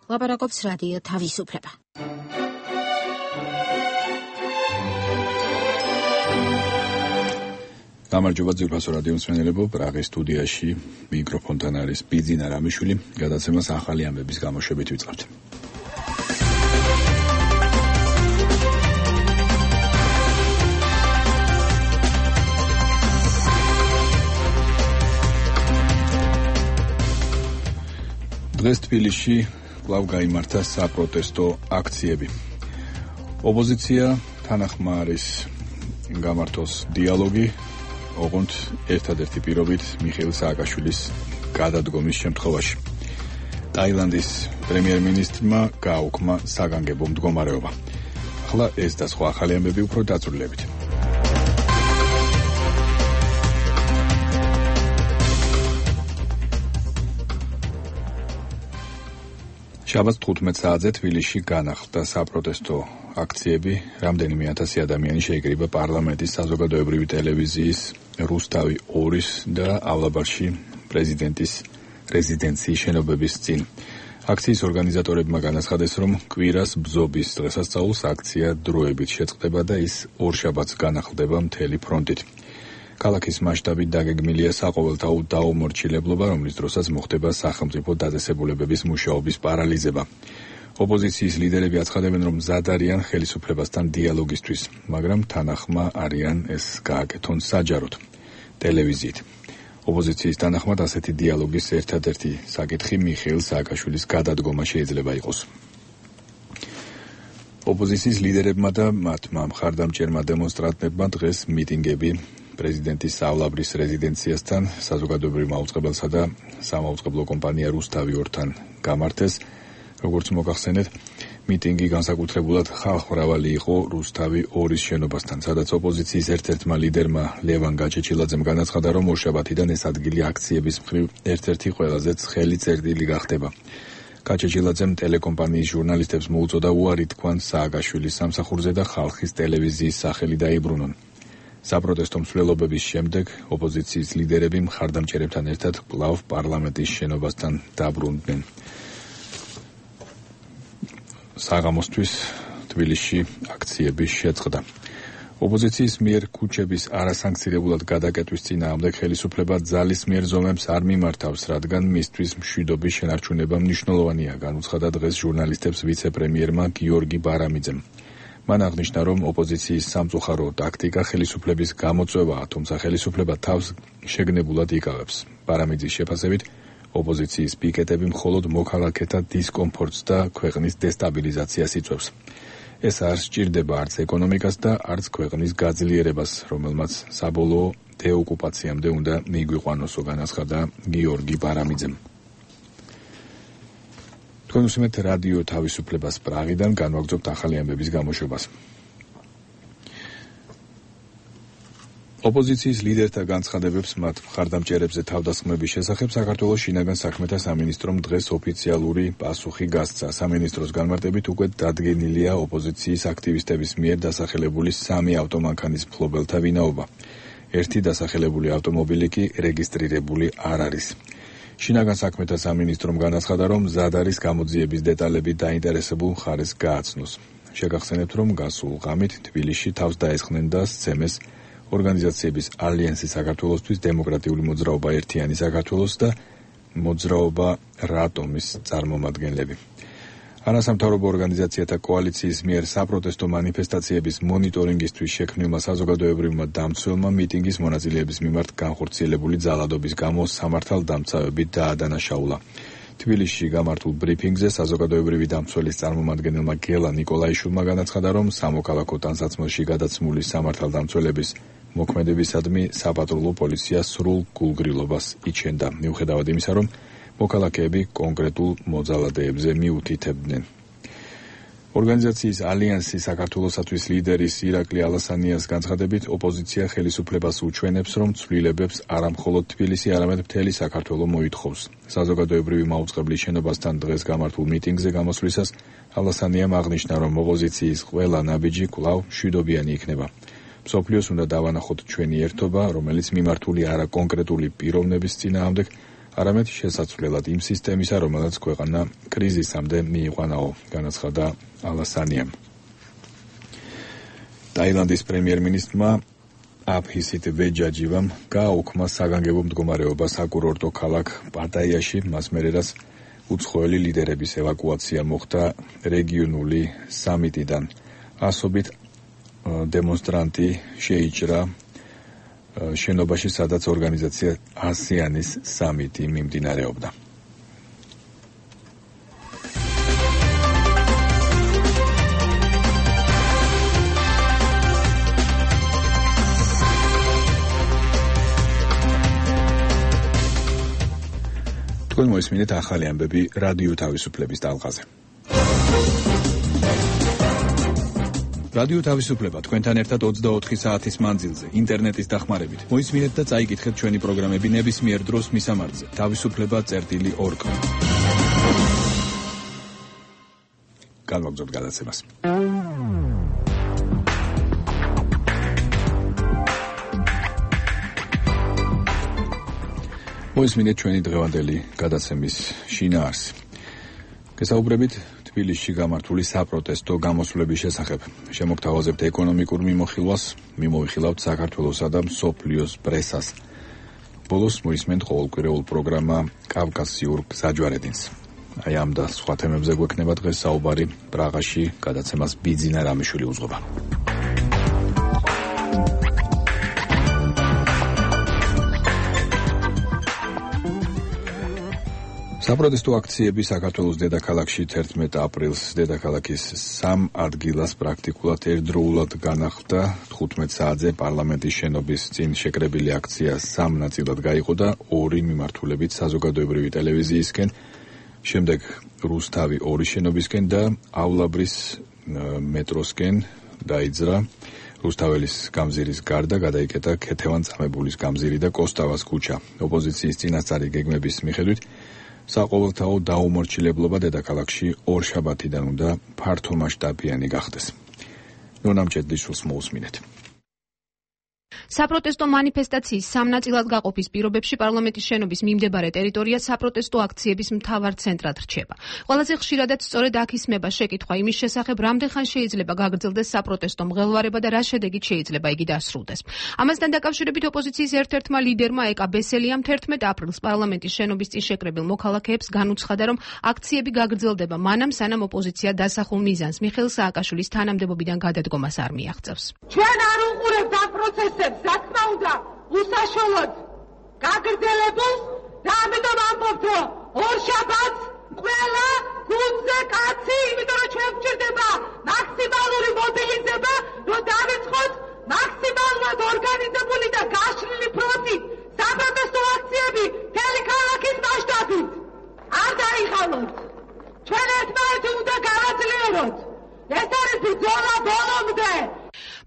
ლაპარაკობს რადიო თავისუფლება. გამარჯობა ძვირფასო რადიო მსმენელებო, პრაღის სტუდიაში მიკროფონთან არის ბიძინა რამიშვილი, გადაცემას ახალი ამბების გამოშვებით ვიწყებთ. დღეს თბილისში კვლავ გაიმართა საპროტესტო აქციები. ოპოზიცია თანახმა არის გამართოს დიალოგი, ოღონდ ერთადერთი პირობით მიხეილ სააკაშვილის გადადგომის შემთხვევაში. ტაილანდის პრემიერ-მინისტრმა გააუქმა საგანგებო მდგომარეობა. ახლა ეს და სხვა ახალი ამბები უფრო დაწვრილებით. შაბათს 15 საათზე თბილისში განახლდა საპროტესტო აქციები, რამდენიმე ათასი ადამიანი შეიკრიბა პარლამენტის საზოგადოებრივი ტელევიზიის რუსთავი 2-ის და ავლაბარში პრეზიდენტის რეზიდენციის შენობების წინ. აქციის ორგანიზატორებმა განაცხადეს, რომ კვირას ბზობის დღესასწაულს აქცია დროებით შეწყდება და ის ორშაბათს განახლდება მთელი ფრონტით. ქალაქის მასშტაბით დაგეგმილია საყოველთაო დაუმორჩილებლობა, რომლის დროსაც მოხდება სახელმწიფო დაწესებულებების მუშაობის პარალიზება. ოპოზიციის ლიდერები აცხადებენ, რომ მზად არიან ხელისუფლებასთან დიალოგისთვის, მაგრამ თანახმა არიან ეს გააკეთონ საჯაროდ, ტელევიზიით. ოპოზიციის თანახმად ასეთი დიალოგის ერთადერთი საკითხი მიხეილ სააკაშვილის გადადგომა შეიძლება იყოს. ოპოზიციის ლიდერებმა და მათმა მხარდამჭერმა დემონსტრანტებმა დღეს მიტინგები პრეზიდენტის სავლაბრის რეზიდენციასთან, საზოგადოებრივ მაუწყებელსა და სამაუწყებლო კომპანია რუსთავი 2-თან გამართეს. როგორც მოგახსენეთ, მიტინგი განსაკუთრებულად ხალხმრავალი იყო რუსთავი 2-ის შენობასთან, სადაც ოპოზიციის ერთ-ერთმა ლიდერმა ლევან გაჩეჩილაძემ განაცხადა, რომ ორშაბათიდან ეს ადგილი აქციების მხრივ ერთ-ერთი ყველაზე ცხელი წერტილი გახდება. გაჩეჩილაძემ ტელეკომპანიის ჟურნალისტებს მოუწოდა უარი თქვან სააკაშვილის სამსახურზე და ხალხის ტელევიზიის სახელი დაიბრუნონ. საპროტესტო მსვლელობების შემდეგ ოპოზიციის ლიდერები მხარდამჭერებთან ერთად კვლავ პარლამენტის შენობასთან დაბრუნდნენ. საღამოსთვის თბილისში აქციები შეწყდა. ოპოზიციის მიერ ქუჩების არასანქცირებულად გადაკეტვის წინააღმდეგ ხელისუფლება ძალის მიერ ზომებს არ მიმართავს, რადგან მისთვის მშვიდობის შენარჩუნება მნიშვნელოვანია, განუცხადა დღეს ჟურნალისტებს ვიცე-პრემიერმა გიორგი ბარამიძემ. მან აღნიშნა, რომ ოპოზიციის სამწუხარო ტაქტიკა ხელისუფლების გამოწვევაა, თუმცა ხელისუფლება თავს შეგნებულად იკავებს. ბარამიძის შეფასებით, ოპოზიციის პიკეტები მხოლოდ მოქალაქეთა დისკომფორტს და ქვეყნის დესტაბილიზაციას იწვევს. ეს არ სჭირდება არც ეკონომიკას და არც ქვეყნის გაძლიერებას, რომელმაც საბოლოო დეოკუპაციამდე უნდა მიგვიყვანოსო, განაცხადა გიორგი ბარამიძემ. თქვენ უსმენთ რადიო თავისუფლებას პრაღიდან, განვაგრძობთ ახალი ამბების გამოშვებას. ოპოზიციის ლიდერთა განცხადებებს მათ მხარდამჭერებზე თავდასხმების შესახებ საქართველოს შინაგან საქმეთა სამინისტრომ დღეს ოფიციალური პასუხი გასცა. სამინისტროს განმარტებით უკვე დადგენილია ოპოზიციის აქტივისტების მიერ დასახელებული 3 ავტომანქანის მფლობელთა ვინაობა. ერთი დასახელებული ავტომობილი კი რეგისტრირებული არ არის. შინაგან საქმეთა სამინისტრომ განაცხადა, რომ მზად არის გამოძიების დეტალები დაინტერესებულ მხარეს გააცნოს. შეგახსენებთ, რომ გასულ ღამით თბილისში თავს დაესხნენ და სცემეს ორგანიზაციების ალიანსი საქართველოსთვის, დემოკრატიული მოძრაობა ერთიანი საქართველოს და მოძრაობა რატომის წარმომადგენლები. არასამთავრობო ორგანიზაციათა კოალიციის მიერ საპროტესტო მანიფესტაციების მონიტორინგისთვის შექმნილმა საზოგადოებრივმა დამცველმა მიტინგის მონაწილეების მიმართ განხორციელებული ძალადობის გამო სამართალდამცავები დაადანაშაულა. თბილისში გამართულ ბრიფინგზე საზოგადოებრივი დამცველის წარმომადგენელმა გელა ნიკოლაიშვილმა განაცხადა, რომ სამოქალაქო ტანსაცმელში გადაცმული სამართალდამცველების მოქმედებისადმი საპატრულო პოლიცია სრულ გულგრილობას იჩენდა, მიუხედავად იმისა, რომ მოქალაქეები კონკრეტულ მოძალადეებზე მიუთითებდნენ. ორგანიზაციის ალიანსი საქართველოსათვის ლიდერის ირაკლი ალასანიას განცხადებით, ოპოზიცია ხელისუფლებას უჩვენებს, რომ ცვლილებებს არა მხოლოდ თბილისი, არამედ მთელი საქართველო მოითხოვს. საზოგადოებრივი მაუწყებლის შენობასთან დღეს გამართულ მიტინგზე გამოსვლისას ალასანიამ აღნიშნა, რომ ოპოზიციის ყველა ნაბიჯი კვლავ მშვიდობიანი იქნება. მსოფლიოს უნდა დავანახოთ ჩვენი ერთობა, რომელიც მიმართული არა კონკრეტული პიროვნების წინააღმდეგ, არამედ შესაძლებლად იმ სისტემისა, რომელსაც ქვეყანა კრიზისამდე მიიყვანაო, განაცხადა ალასანიამ. ტაილანდის პრემიერ-მინისტრმა აფჰისით ვეჯაჯივამ გააუქმა საგანგებო მდგომარეობა საკურორტო ქალაქ პატაიაში, მას მერე რაც უცხოელი ლიდერების ევაკუაცია მოხდა რეგიონული სამიტიდან. ასობით დემონსტრანტი შეიჭრა შენობაში, სადაც ორგანიზაცია ასიანის სამიტი მიმდინარეობდა. თქვენ მოისმინეთ ახალი ამბები რადიო თავისუფლების ტალღაზე. რადიო თავისუფლება თქვენთან ერთად 24 საათის მანძილზე, ინტერნეტის დახმარებით. მოისმინეთ და წაიკითხეთ ჩვენი პროგრამები ნებისმიერ დროს მისამართზე. თავისუფლება.org. განვაგრძობთ გადაცემას. მოისმინეთ ჩვენი დღევანდელი გადაცემის შინაარსი. გესაუბრებით თბილისში გამართული საპროტესტო გამოსვლების შესახებ. შემოგთავაზებთ ეკონომიკურ მიმოხილვას, მიმოვიხილავთ საქართველოსა და მსოფლიოს პრესას. ბოლოს მოისმენთ ყოველკვირეულ პროგრამა კავკასიურ გზაჯვარედინს. აი ამ და სხვა თემებზე გვექნება დღეს საუბარი. პრაღაში გადაცემას ბიძინა რამიშვილი უძღვება. საპროტესტო აქციები საქართველოს დედაქალაქში 11 აპრილს დედაქალაქის 3 ადგილას პრაქტიკულად ერთდროულად განახლდა. 15 საათზე პარლამენტის შენობის წინ შეკრებილი აქცია 3 ნაწილად გაიყო და 2 მიმართულებით საზოგადოებრივი ტელევიზიისკენ, შემდეგ რუსთავი 2 შენობისკენ დაავლაბრის მეტროსკენ დაიძრა. რუსთაველის გამზირის გარდა გადაიკეტა ქეთევან-წამებულის გამზირი და კოსტავას ქუჩა. ოპოზიციის წინასწარი გეგმების მიხედვით საყოველთაო დაუმორჩილებლობა დედაქალაქში ორშაბათიდან უნდა ფართომასშტაბიანი გახდეს. ნონა მჭედლიშვილს მოусმინეთ. საპროტესტო მანიფესტაციის 3 ნაწილად გაყოფის პირობებში პარლამენტის შენობის მიმდებარე ტერიტორია საპროტესტო აქციების მთავარ ცენტრად რჩება. ყველაზე ხშირადაც სწორედ აქ ისმება შეკითხვა იმის შესახებ, რამდენხან შეიძლება გაგრძელდეს საპროტესტო მღელვარება და რა შედეგით შეიძლება იგი დასრულდეს. ამასთან დაკავშირებით ოპოზიციის ერთ-ერთმა ლიდერმა ეკა ბესელიამ 11 აპრილს პარლამენტის შენობის წინ შეკრებილ მოქალაქეებს განუცხადა, რომ აქციები გაგრძელდება მანამ, სანამ ოპოზიცია დასახულ მიზანს მიხეილ სააკაშვილის თანამდებობიდან გადადგომას არ მიაღწევს. ჩვენ არ უყურებთ ამ პროცესებს. რა თქმა უნდა, უსაშველოდ გაგრძელებულს და ამიტომ ამბობთ, რომ ორშაბათს ყველა გუნდზე კაცი, იმიტომ რომ ჩვენ გვჭირდება მაქსიმალური მობილიზება, რომ დავიწყოთ მაქსიმალურად ორგანიზებული და გაშლილი ფრონტით საპროტესტო აქციები მთელი ქალაქის მასშტაბით. არ დაიღალოთ. ჩვენ ერთმანეთი უნდა გავაძლიეროთ. ეს არის ბრძოლა ბოლომდე.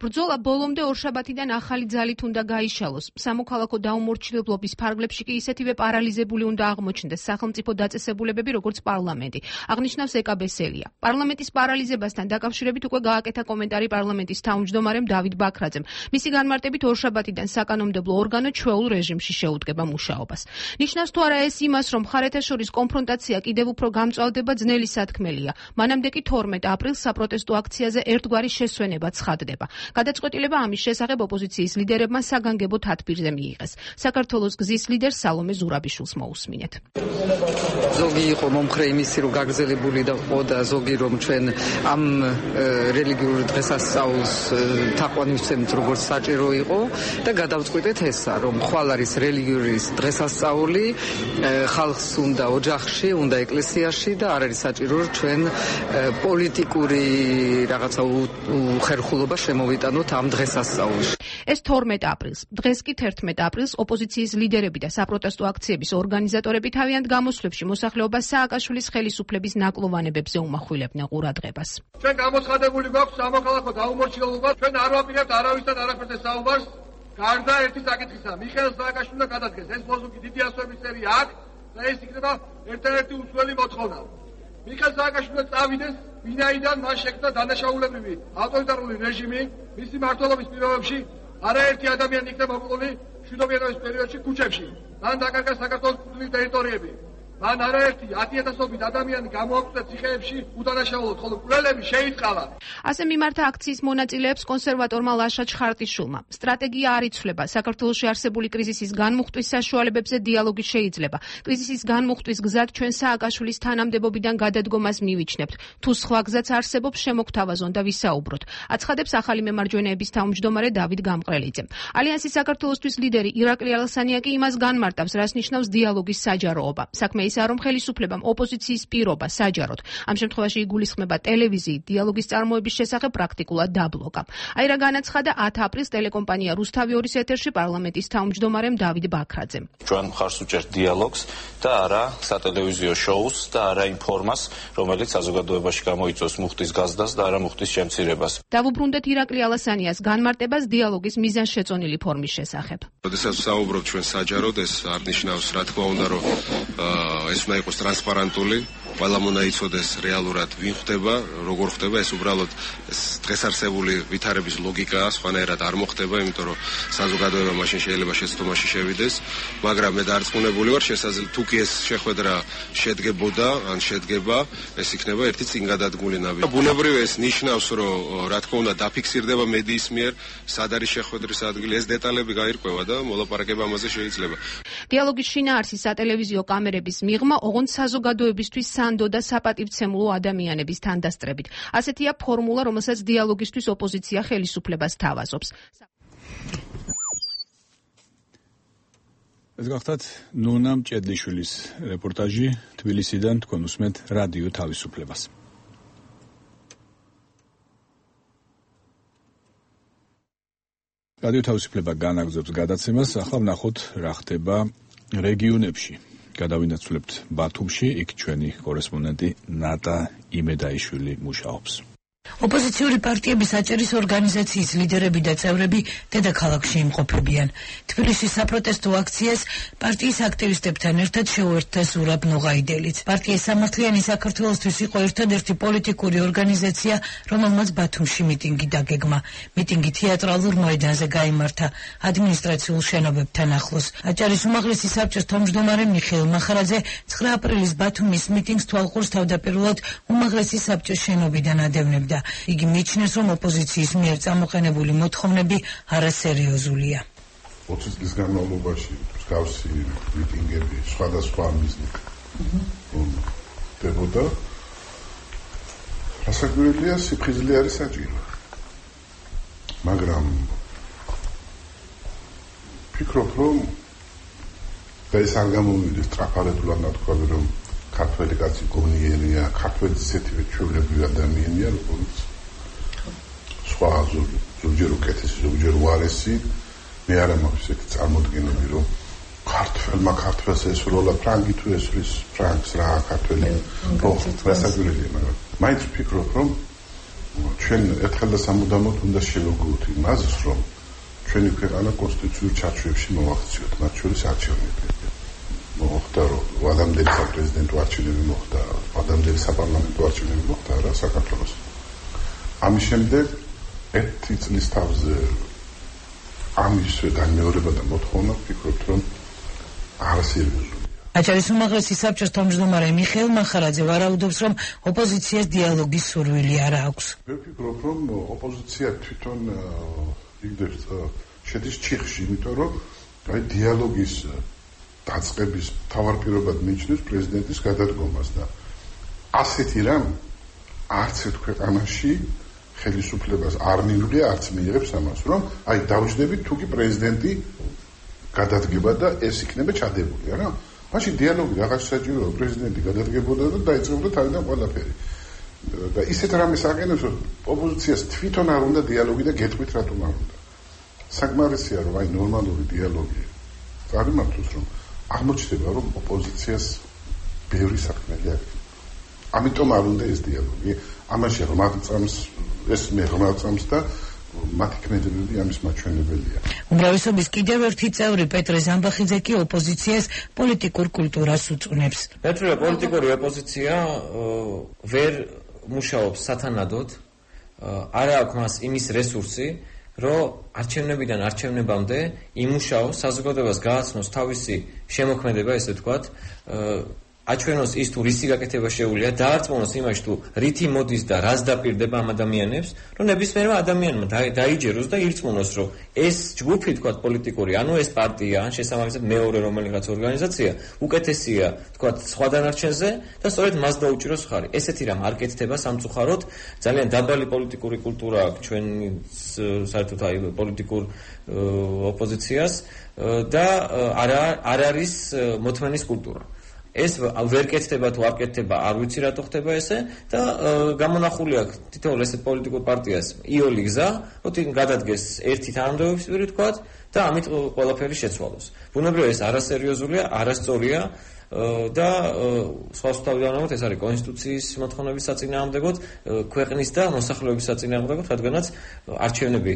ბრძოლა ბოლომდე ორშაბათიდან ახალი ძალით უნდა გაიშალოს. სამოქალაქო დაუმორჩილებლობის ფარგლებში კი ისეთივე პარალიზებული უნდა აღმოჩნდეს სახელმწიფო დაწესებულებები, როგორც პარლამენტი. აღნიშნავს ეკა ბესელია. პარლამენტის პარალიზებასთან დაკავშირებით უკვე გააკეთა კომენტარი პარლამენტის თავმჯდომარემ დავით ბაქრაძემ. მისი განმარტებით ორშაბათიდან საკანონმდებლო ორგანო ჩვეულ რეჟიმში შეუდგება მუშაობას. ნიშნავს თუ არა ეს იმას, რომ მხარეთა შორის კონფრონტაცია კიდევ უფრო გამწვავდება, ძნელი სათქმელია. მანამდე კი 12 აპრილს საპროტესტო აქციაზე ერთგვარი შესვენება ცხადდება. გადაწყვეტილება ამის შესახებ ოპოზიციის ლიდერებმა საგანგებო თათბირზე მიიღეს. საქართველოს გზის ლიდერ სალომე ზურაბიშვილს მოусმინეთ. ზოგი იყო მომხრე იმისი, რომ გაგრძელებული და ყო და ზოგი რომ ჩვენ ამ რელიგიურ დღესასწაულს თაყვანივცემთ როგორც საჭირო იყო და გადავწყვიტეთ ესა, რომ ხვალ არის რელიგიური დღესასწაული, ხალხს უნდა ოჯახში, უნდა ეკლესიაში და არ არის საჭირო რომ ჩვენ პოლიტიკური რაღაცა უხერხულობა შემოვიტანოთ ამ დღესასწაულში. ეს 12 აპრილს. დღეს კი 11 აპრილს ოპოზიციის ლიდერები და საპროტესტო აქციების ორგანიზატორები თავიანთ გამოსვლებში მოსახლეობას სააკაშვილის ხელისუფლების ნაკლოვანებებზე უმახვილებდნენ ყურადღებას. ჩვენ გამოცხადებული გვაქვს სამოქალაქო დაუმორჩილებლობა, ჩვენ არ ვაპირებთ არავისთან არაფერზე საუბარს, გარდა ერთი საკითხისა. მიხეილ სააკაშვილმა გადადგეს. ეს ლოზუნგი დიდი ასოების სერია აქვს და ეს იქნება ერთ-ერთი უცვლელი მოთხოვნა. მიხეილ სააკაშვილმა წავიდეს, ვინაიდან მას შექმნა დანაშაულებრივი ავტორიტარული რეჟიმი, მისი მმართველობის პირობებში არაერთი ადამიანი იქნება მოკლული მშვიდობიანობის პერიოდში ქუჩებში. მან დაკარგა საქართველოს კუთვნილი ტერიტორიები. მან არაერთი 10,000 ადამიანი გამოაკვდა ციხეებში უდანაშაულოდ, ხოლო მკვლელები შეიწყალა. ასე მიმართა აქციის მონაწილეებს კონსერვატორმა ლაშა ჩხარტიშვილმა. სტრატეგია არ იცვლება. საქართველოში არსებული კრიზისის განმუხტვის საშუალებებზე დიალოგი შეიძლება. კრიზისის განმუხტვის გზად ჩვენ სააკაშვილის თანამდებობიდან გადადგომას მივიჩნევთ. თუ სხვა გზაც არსებობს, შემოგთავაზონ და ვისაუბროთ. აცხადებს ახალი მემარჯვენეების თავმჯდომარე დავით გამყრელიძე. ალიანსის საქართველოსთვის ლიდერი ირაკლი ალასანია კი იმას განმარტავს, რას ნიშნავს დიალოგის საჯაროობა. საქმე ისაა, რომ ხელისუფლებამ ოპოზიციის პირობა საჯაროდ. ამ შემთხვევაში იგულისხმება ტელევიზიით დიალოგის წარმოების შესახებ პრაქტიკულად დაბლოკა. აი რა განაცხადა 10 აპრილს ტელეკომპანია რუსთავი 2-ის ეთერში პარლამენტის თავმჯდომარემ დავით ბაქრაძემ. ჩვენ მხარს უჭერთ დიალოგს და არა სატელევიზიო შოუს და არა იმ ფორმას, რომელიც საზოგადოებაში გამოიწვევს მუხტის გაზდას და არა მუხტის შემცირებას. დავუბრუნდეთ ირაკლი ალასანიას განმარტებას დიალოგის მიზანშეწონილი ფორმის შესახებ. როდესაც საუბრობთ ჩვენ საჯაროდ, ეს არ ნიშნავს, რა თქმა უნდა, რომ ეს უნდა იყოს ტრანსპარენტული, ყველამ უნდა იცოდეს რეალურად ვინ ხდება, როგორ ხდება, ეს უბრალოდ დღეს არსებული ვითარების ლოგიკაა, სხვანაირად არ მოხდება, იმიტომ რომ საზოგადოება მაშინ შეიძლება შეცდომაში შევიდეს, მაგრამ მე დარწმუნებული ვარ, შესაძლოა თუ კი ეს შეხვედრა შედგებოდა, ან შედგება, ეს იქნება ერთი წინგადადგმული ნაბიჯი. ბუნებრივ ეს ნიშნავს, რომ რა თქმა უნდა დაფიქსირდება მედიის მიერ, სად არის შეხვედრის ადგილი, ეს დეტალები გაირკვევა და მოლაპარაკება ამაზე შეიძლება. დიალოგის შინაარსის სატელევიზიო კამერების მიღმა, ოღონდ საზოგადოებისთვის სანდო და საპატივცემულო ადამიანების თანდასწრებით. ასეთია ფორმულა, რომელსაც დიალოგისთვის ოპოზიცია ხელისუფლებას თავაზობს. ეს გახლავთ ნონა მჭედლიშვილის რეპორტაჟი თბილისიდან, თქვენ უსმენთ რადიო თავისუფლებას. რადიო თავისუფლება განაგრძობს გადაცემას, ახლა ვნახოთ რა ხდება რეგიონებში. გადავინაცვლებთ ბათუმში, იქ ჩვენი კორესპონდენტი ნატა იმედაიშვილი მუშაობს. ოპოზიციური პარტიების აჭერის ორგანიზაციის ლიდერები და წევრები დედაქალაქში იმყოფებიან. თბილისის საპროტესტო აქციას პარტიის აქტივისტებთან ერთად შეუერთდა ზურაბ ნოღაიდელიც. პარტიის სამართლიანი საქართველოსთვის იყო ერთადერთი პოლიტიკური ორგანიზაცია, რომელმაც ბათუმში მიტინგი დაგეგმა. მიტინგი თეატრალურ მოედანზე გაიმართა, ადმინისტრაციულ შენობებთან ახლოს. აჭარის უმაღლესი საბჭოს თავმჯდომარე მიხეილ მახარაძე 9 აპრილის ბათუმის მიტინგს თვალყურს თავდაპირველად უმაღლესი საბჭოს შენობიდან ადევნებდა. იგი მიიჩნევს, რომ ოპოზიციის მიერ წამოყენებული მოთხოვნები არასერიოზულია. 20 წლის განმავლობაში მსგავსი მიტინგები სხვადასხვა მიზნით ხდებოდა. რასაკვირველია, სიფხიზლე არის საჭირო. მაგრამ ფიქრობ, რომ ეს არ გამომივიდეს ტრაფარეთულად ნათქვამი, რომ ქართველი კაცი გონიერია, ქართველი ისეთივე ჩვეულებრივი ადამიანია, როგორც სხვა ზოგჯერ უკეთესი, ზოგჯერ უარესი. მე არ მაქვს ესეთი წარმოდგენები, რომ ქართველს ესროლა ფრანგი თუ ესრის ფრანგს რა ქართველი რასაკვირველია, მაგრამ მაინც ვფიქრობ, რომ ჩვენ ერთხელ და სამუდამოდ უნდა შევეგუოთ იმას, რომ ჩვენი ქვეყანა კონსტიტუციურ ჩარჩოებში მოვაქციოთ, მათ შორის არჩევნები. მოხდა რომ ადამიანის საპრეზიდენტო არჩევნები მოხდა, ადამიანის საპარლამენტო არჩევნები მოხდა რა საქართველოს. ამის შემდეგ ერთი წლის თავზე ამის განმეორება და მოთხოვნა ვფიქრობ, რომ არასერიოზულია. აჭარის უმაღლესი საბჭოს თავმჯდომარე მიხეილ მახარაძე ვარაუდობს, რომ ოპოზიციას დიალოგის სურვილი არ აქვს. მე ვფიქრობ, რომ ოპოზიცია თვითონ იგდებს შედის ჩიხში, იმიტომ რომ აი დიალოგის დაწყების თავარ პირობად მიიჩნევს პრეზიდენტის გადადგომას და ასეთი რამ არც ერთ ქვეყანაში ხელისუფლებას არ მიუღია, არც მიიღებს ამას, რომ აი დავჯდებით თუ კი პრეზიდენტი გადადგება და ეს იქნება ჩადებული, რა. მაშინ დიალოგი რაღაც საჭიროა, პრეზიდენტი გადადგებოდა და დაიწყებოდა თავიდან ყველაფერი. და ისეთ რამეს აყენებს, რომ ოპოზიციას თვითონ არ უნდა დიალოგი და გეტყვით რატომ არ უნდა. საკმარისია, რომ აი ნორმალური დიალოგი წარმართოს, რომ აღმოჩნდება, რომ ოპოზიციას ბევრი საქმეები აქვს. ამიტომ არ უნდა ეს დიალოგი. ამაში რომელწამს ეს მეღმაწამს და მათი ქმედებები ამის მაჩვენებელია. უმრავლესობის კიდევ ერთი წევრი პეტრე ზამბახიძე კი ოპოზიციას პოლიტიკურ კულტურას უწუნებს. პეტრე პოლიტიკური ოპოზიცია ვერ მუშაობს სათანადოდ, არ აქვს მას იმის რესურსი, რომ არჩევნებიდან არჩევნებამდე იმუშაოს, საზოგადოებას გააცნოს თავისი შემოქმედება, ესე ვთქვათ, აჩვენოს ის თუ რისი გაკეთება შეუძლია, დაარწმუნოს იმაში თუ რითი მოდის და რას დაპირდება ამ ადამიანებს, რომ ნებისმიერმა ადამიანმა დაიჯეროს და ირწმუნოს, რომ ეს ჯგუფი, თქვათ, პოლიტიკური, ანუ ეს პარტია, ან შესაბამისად მეორე რომელიღაც ორგანიზაცია, უკეთესია, თქვათ, სხვა დანარჩენზე და სწორედ მას დაუჭიროს ხარი. ესეთი რამ არ კეთდება სამწუხაროდ, ძალიან დაბალი პოლიტიკური კულტურა აქვს ჩვენ საერთოდ აი პოლიტიკურ ოპოზიციას და არ არის მოთმენის კულტურა. ეს ვერ კეთდება თუ არ კეთდება, არ ვიცი რატო ხდება ესე და გამონახული აქვს თითოეულ ესეთ პოლიტიკურ პარტიას იოლი გზა, რომ გადადგეს ერთი თანამდებობის პირი თქვათ და ამით ყველაფერი შეცვალოს. ბუნებრივია ეს არასერიოზულია, არასწორია და სხვადასხვაგვარად ეს არის კონსტიტუციის მოთხოვნების საწინააღმდეგოდ, ქვეყნის და მოსახლეობის საწინააღმდეგოდ, რადგანაც არჩევნები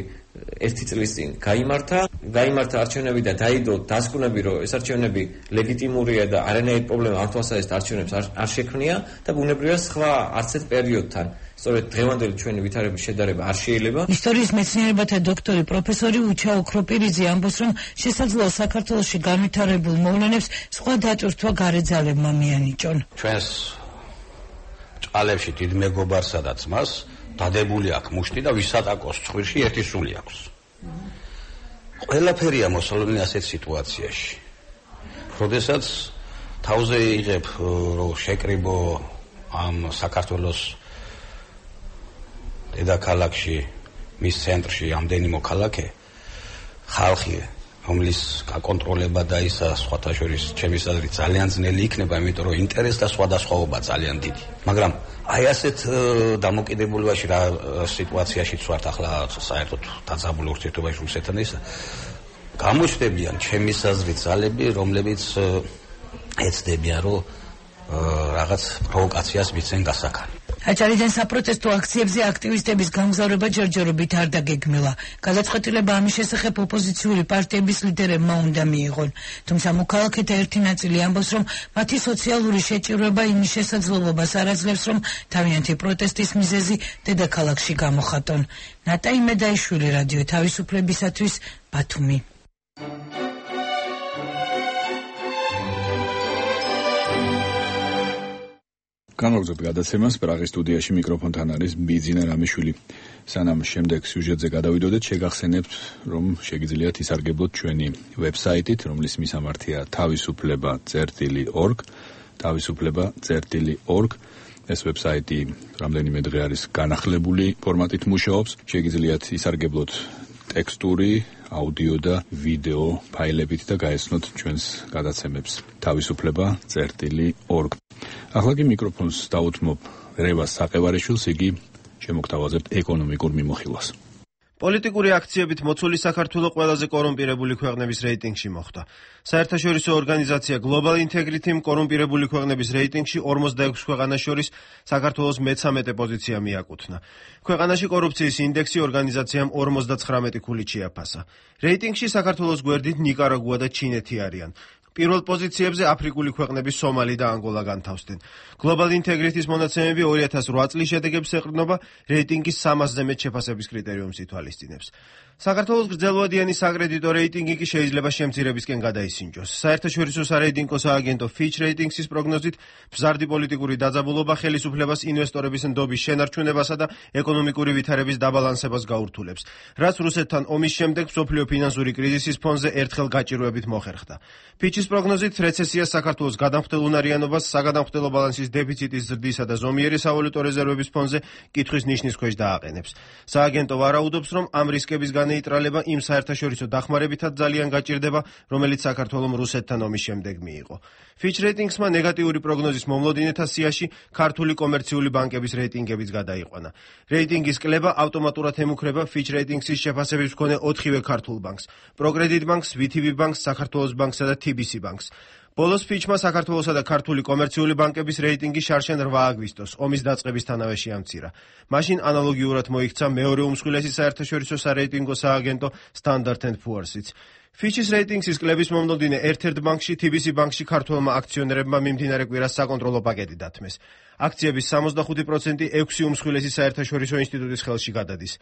ერთი წლის წინ გაიმართა არჩევნები და დაიდო დასკვნები, რომ ეს არჩევნები ლეგიტიმურია და არანაირი პრობლემა ამ თვალსაზრისით არჩევნებს არ შექმნია და ბუნებრივია სხვა არც ერთ პერიოდთან სწორედ დღევანდელი ჩვენი ვითარების შედარება არ შეიძლება. ისტორიის მეცნიერებათა დოქტორი პროფესორი უჩა ოქროპირიძე ამბობს, რომ შესაძლოა საქართველოში განვითარებულ მოვლენებს სხვა დატვირთვა გარეძალებმა მიანიჭონ. ჩვენს ჭალებში დიდ მეგობარსა და ძმას დადებული აქვს მუშტი და ვისატაკოს ცხვირში ერთი სული აქვს. ყველაფერია მოსალოდნელი ასეთ სიტუაციაში. როდესაც თავზე იღებ რომ შეკრიბო ამ საქართველოს დედაქალაქში, მის ცენტრში ამდენი მოქალაქე, ხალხი, რომლის გაკონტროლება და ისა სხვათა შორის ჩემი აზრით ძალიან ძნელი იქნება, იმიტომ რომ ინტერესი და სხვადასხვაობა ძალიან დიდი. მაგრამ აი ასეთ დამოკიდებულებაში რა სიტუაციაშიც ვართ ახლა საერთოდ დაძაბულ ურთიერთობაში რუსეთთან ისა გამოჩნდებიან ჩემი აზრით ძალები, რომლებიც ეცდებიან რომ რაღაც პროვოკაციას მიცენ გასახანი. აჭარიდან საპროტესტო აქციებზე აქტივისტების გამგზავრება ჯერჯერობით არ დაგეგმილა. გადაწყვეტილება ამის შესახებ ოპოზიციური პარტიების ლიდერებმა უნდა მიიღონ. თუმცა მოქალაქეთა ერთი ნაწილი ამბობს, რომ მათი სოციალური შეჭირვება იმის შესაძლებლობას არ აძლევს, რომ თავიანთი პროტესტის მიზეზი დედაქალაქში გამოხატონ. ნატაი მედაიშვილი, რადიო თავისუფლებისათვის, ბათუმი. განვაგრძობთ გადაცემას. პრაღის სტუდიაში მიკროფონთან არის ბიძინა რამიშვილი. სანამ შემდეგ სიუჟეტზე გადავიდოდეთ, შეგახსენებთ, რომ შეგიძლიათ ისარგებლოთ ჩვენი ვებსაიტით, რომლის მისამართია თავისუფლება.org. ეს ვებსაიტი რამდენიმე დღე არის განახლებული ფორმატით მუშაობს. შეგიძლიათ ისარგებლოთ ტექსტური, აუდიო და ვიდეო ფაილებით და გაეცნოთ ჩვენს გადაცემებს თავისუფლება.org. ახლა კი მიკროფონს დაუთმობ რევას საყევარიშვილს, იგი შემოგთავაზებთ ეკონომიკურ მიმოხილვას. პოლიტიკური აქციებით მოცული საქართველო ყველაზე კორუმპირებული ქვეყნების რეიტინგში მოხვდა. საერთაშორისო ორგანიზაცია Global Integrity კორუმპირებული ქვეყნების რეიტინგში 46 ქვეყანას შორის საქართველოს მე-13 პოზიცია მიაკუთვნა. ქვეყანაში კორუფციის ინდექსი ორგანიზაციამ 59 ქულით შეაფასა. რეიტინგში საქართველოს გვერდით ნიკარაგუა და ჩინეთი არიან. პირველ პოზიციებზე აფრიკული ქვეყნები სომალი და ანგოლა განთავსდნენ. Global Integrity-ს მონაცემები 2008 წლის შედეგებს ეყრდნობა, რეიტინგის 300-ზე მეტ შეფასების კრიტერიუმს ითვალისწინებს. საქართველოს გრძელვადიანი საკრედიტო რეიტინგი კი შეიძლება შემცირებისკენ გადაისინჯოს. საერთაშორისო სარეიტინგო სააგენტო Fitch Ratings-ის პროგნოზით, მზარდი პოლიტიკური დაძაბულობა ხელისუფლებას ინვესტორების ნდობის შენარჩუნებასა და ეკონომიკური ვითარების დაბალანსებას გაურთულებს, რაც რუსეთთან ომის შემდეგ მსოფლიო ფინანსური კრიზისის ფონზე ერთხელ გაჭირვებით მოხერხდა. Fitch-ის პროგნოზით რეცესია საქართველოს გადამხდელ უნარიანობას, საგადამხდელო ბალანსის დეფიციტის ზრდისა და ზომიერი სავალუტო რეზერვების ფონზე კითხვის ნიშნის ქვეშ დააყენებს. სააგენტო ვარაუდობს, რომ ამ რისკების განეიტრალება იმ საერთაშორისო დახმარებითაც ძალიან გაჭირდება, რომელიც საქართველომ რუსეთთან ომის შემდეგ მიიღო. Fitch Ratings-მა ნეგატიური პროგნოზის მომლოდინეთა სიაში ქართული კომერციული ბანკების რეიტინგებიც გადაიყვანა. რეიტინგის კლება ავტომატურად ემუქრება Fitch Ratings-ის შეფასების მქონე 4-ვე ქართულ ბანკს: პროგრედიტ ბანკს, VTB ბანკს, საქართველოს ბანკსა და TBC ბანკს. ბოლოს Fitch-მა საქართველოსა და ქართული კომერციული ბანკების რეიტინგი შარშან 8 აგვისტოს, ომის დაწყებისთანავე შეამცირა. მაშინ ანალოგიურად მოიქცა მეორე უმსხვილესი საერთაშორისო სარეიტინგო სააგენტო Standard & Poor's-იც. Fitch-ის რეიტინგის კლების მომდევნო ერთ-ერთ ბანკში TBC ბანკში ქართველმა აქციონერებმა მიმდინარე კვირას საკონტროლო პაკეტი დათმეს. აქციების 65% 6 უმსხვილესი საერთაშორისო ინსტიტუტის ხელში გადადის.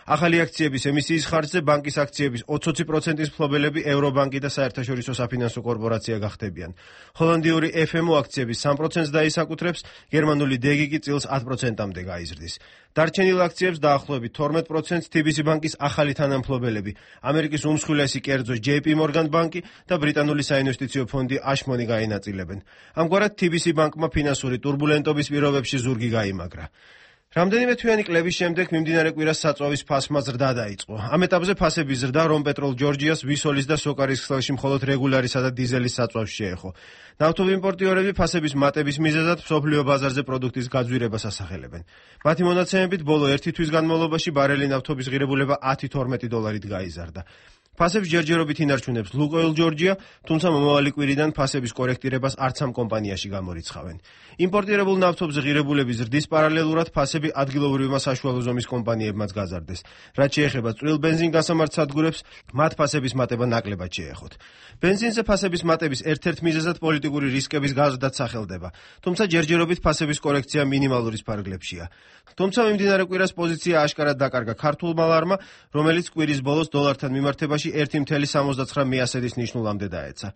ახალი აქციების ემისიის ხარჯზე ბანკის აქციების 20%-ის მფლობელები ევრობანკი და საერთაშორისო საფინანსო კორპორაცია გახდებიან. ჰოლანდიური FMO აქციების 3%-ს დაისაკუთრებს, გერმანული DG კი წილს 10%-მდე გაიზრდის. დარჩენილ აქციებს დაახლოებით 12%-ს TBC ბანკის ახალი თანამფლობელები, ამერიკის უმსხვილესი კერძო JP Morgan ბანკი და ბრიტანული საინვესტიციო ფონდი Ashmore გაინაწილებენ. ამგვარად TBC ბანკმა ფინანსური ტურბულენტობის პირობებში ზურგი გაიმაგრა. რამდენიმე თვიანი კლების შემდეგ მიმდინარე კვირას საწვავის ფასმა ზრდა დაიწყო. ამ ეტაპზე ფასების ზრდა რომპეტროლ ჯორჯიას, ვისოლის და სოკარის ქსელში მხოლოდ რეგულარისა და დიზელის საწვავს შეეხო. ნავთობიმპორტიორები ფასების მატების მიზეზად მსოფლიო ბაზარზე პროდუქტის გაძვირებას ასახელებენ. მათი მონაცემებით ბოლო 1 თვის განმავლობაში ბარელი ნავთობის ღირებულება $10-12 გაიზარდა. ფასებს ჯერჯერობით ინარჩუნებს ლუკოილ ჯორჯია, თუმცა მომავალი კვირიდან ფასების კორექტირებას არც ამ კომპანიაში გამორიცხავენ. იმპორტირებულ ნავთობზე ღირებულების ზრდის პარალელურად ფასები ადგილობრივმა საშუალო ზომის კომპანიებმაც გაზარდეს. რაც შეეხება წვრილ ბენზინგასამართ სადგურებს, მათ ფასების მატება ნაკლებად შეეხოთ. ბენზინზე ფასების მატების ერთ-ერთ მიზეზად პოლიტიკური რისკების გაზრდაც სახელდება, თუმცა ჯერჯერობით ფასების კორექცია მინიმალურის ფარგლებშია. თუმცა მიმდინარე კვირას პოზიცია აშკარად დაკარგა ქართულმა ლარმა, რომელიც კვირის ბოლოს დოლართან მიმართებაში 1.79 მიასედის ნიშნულამდე დაეცა.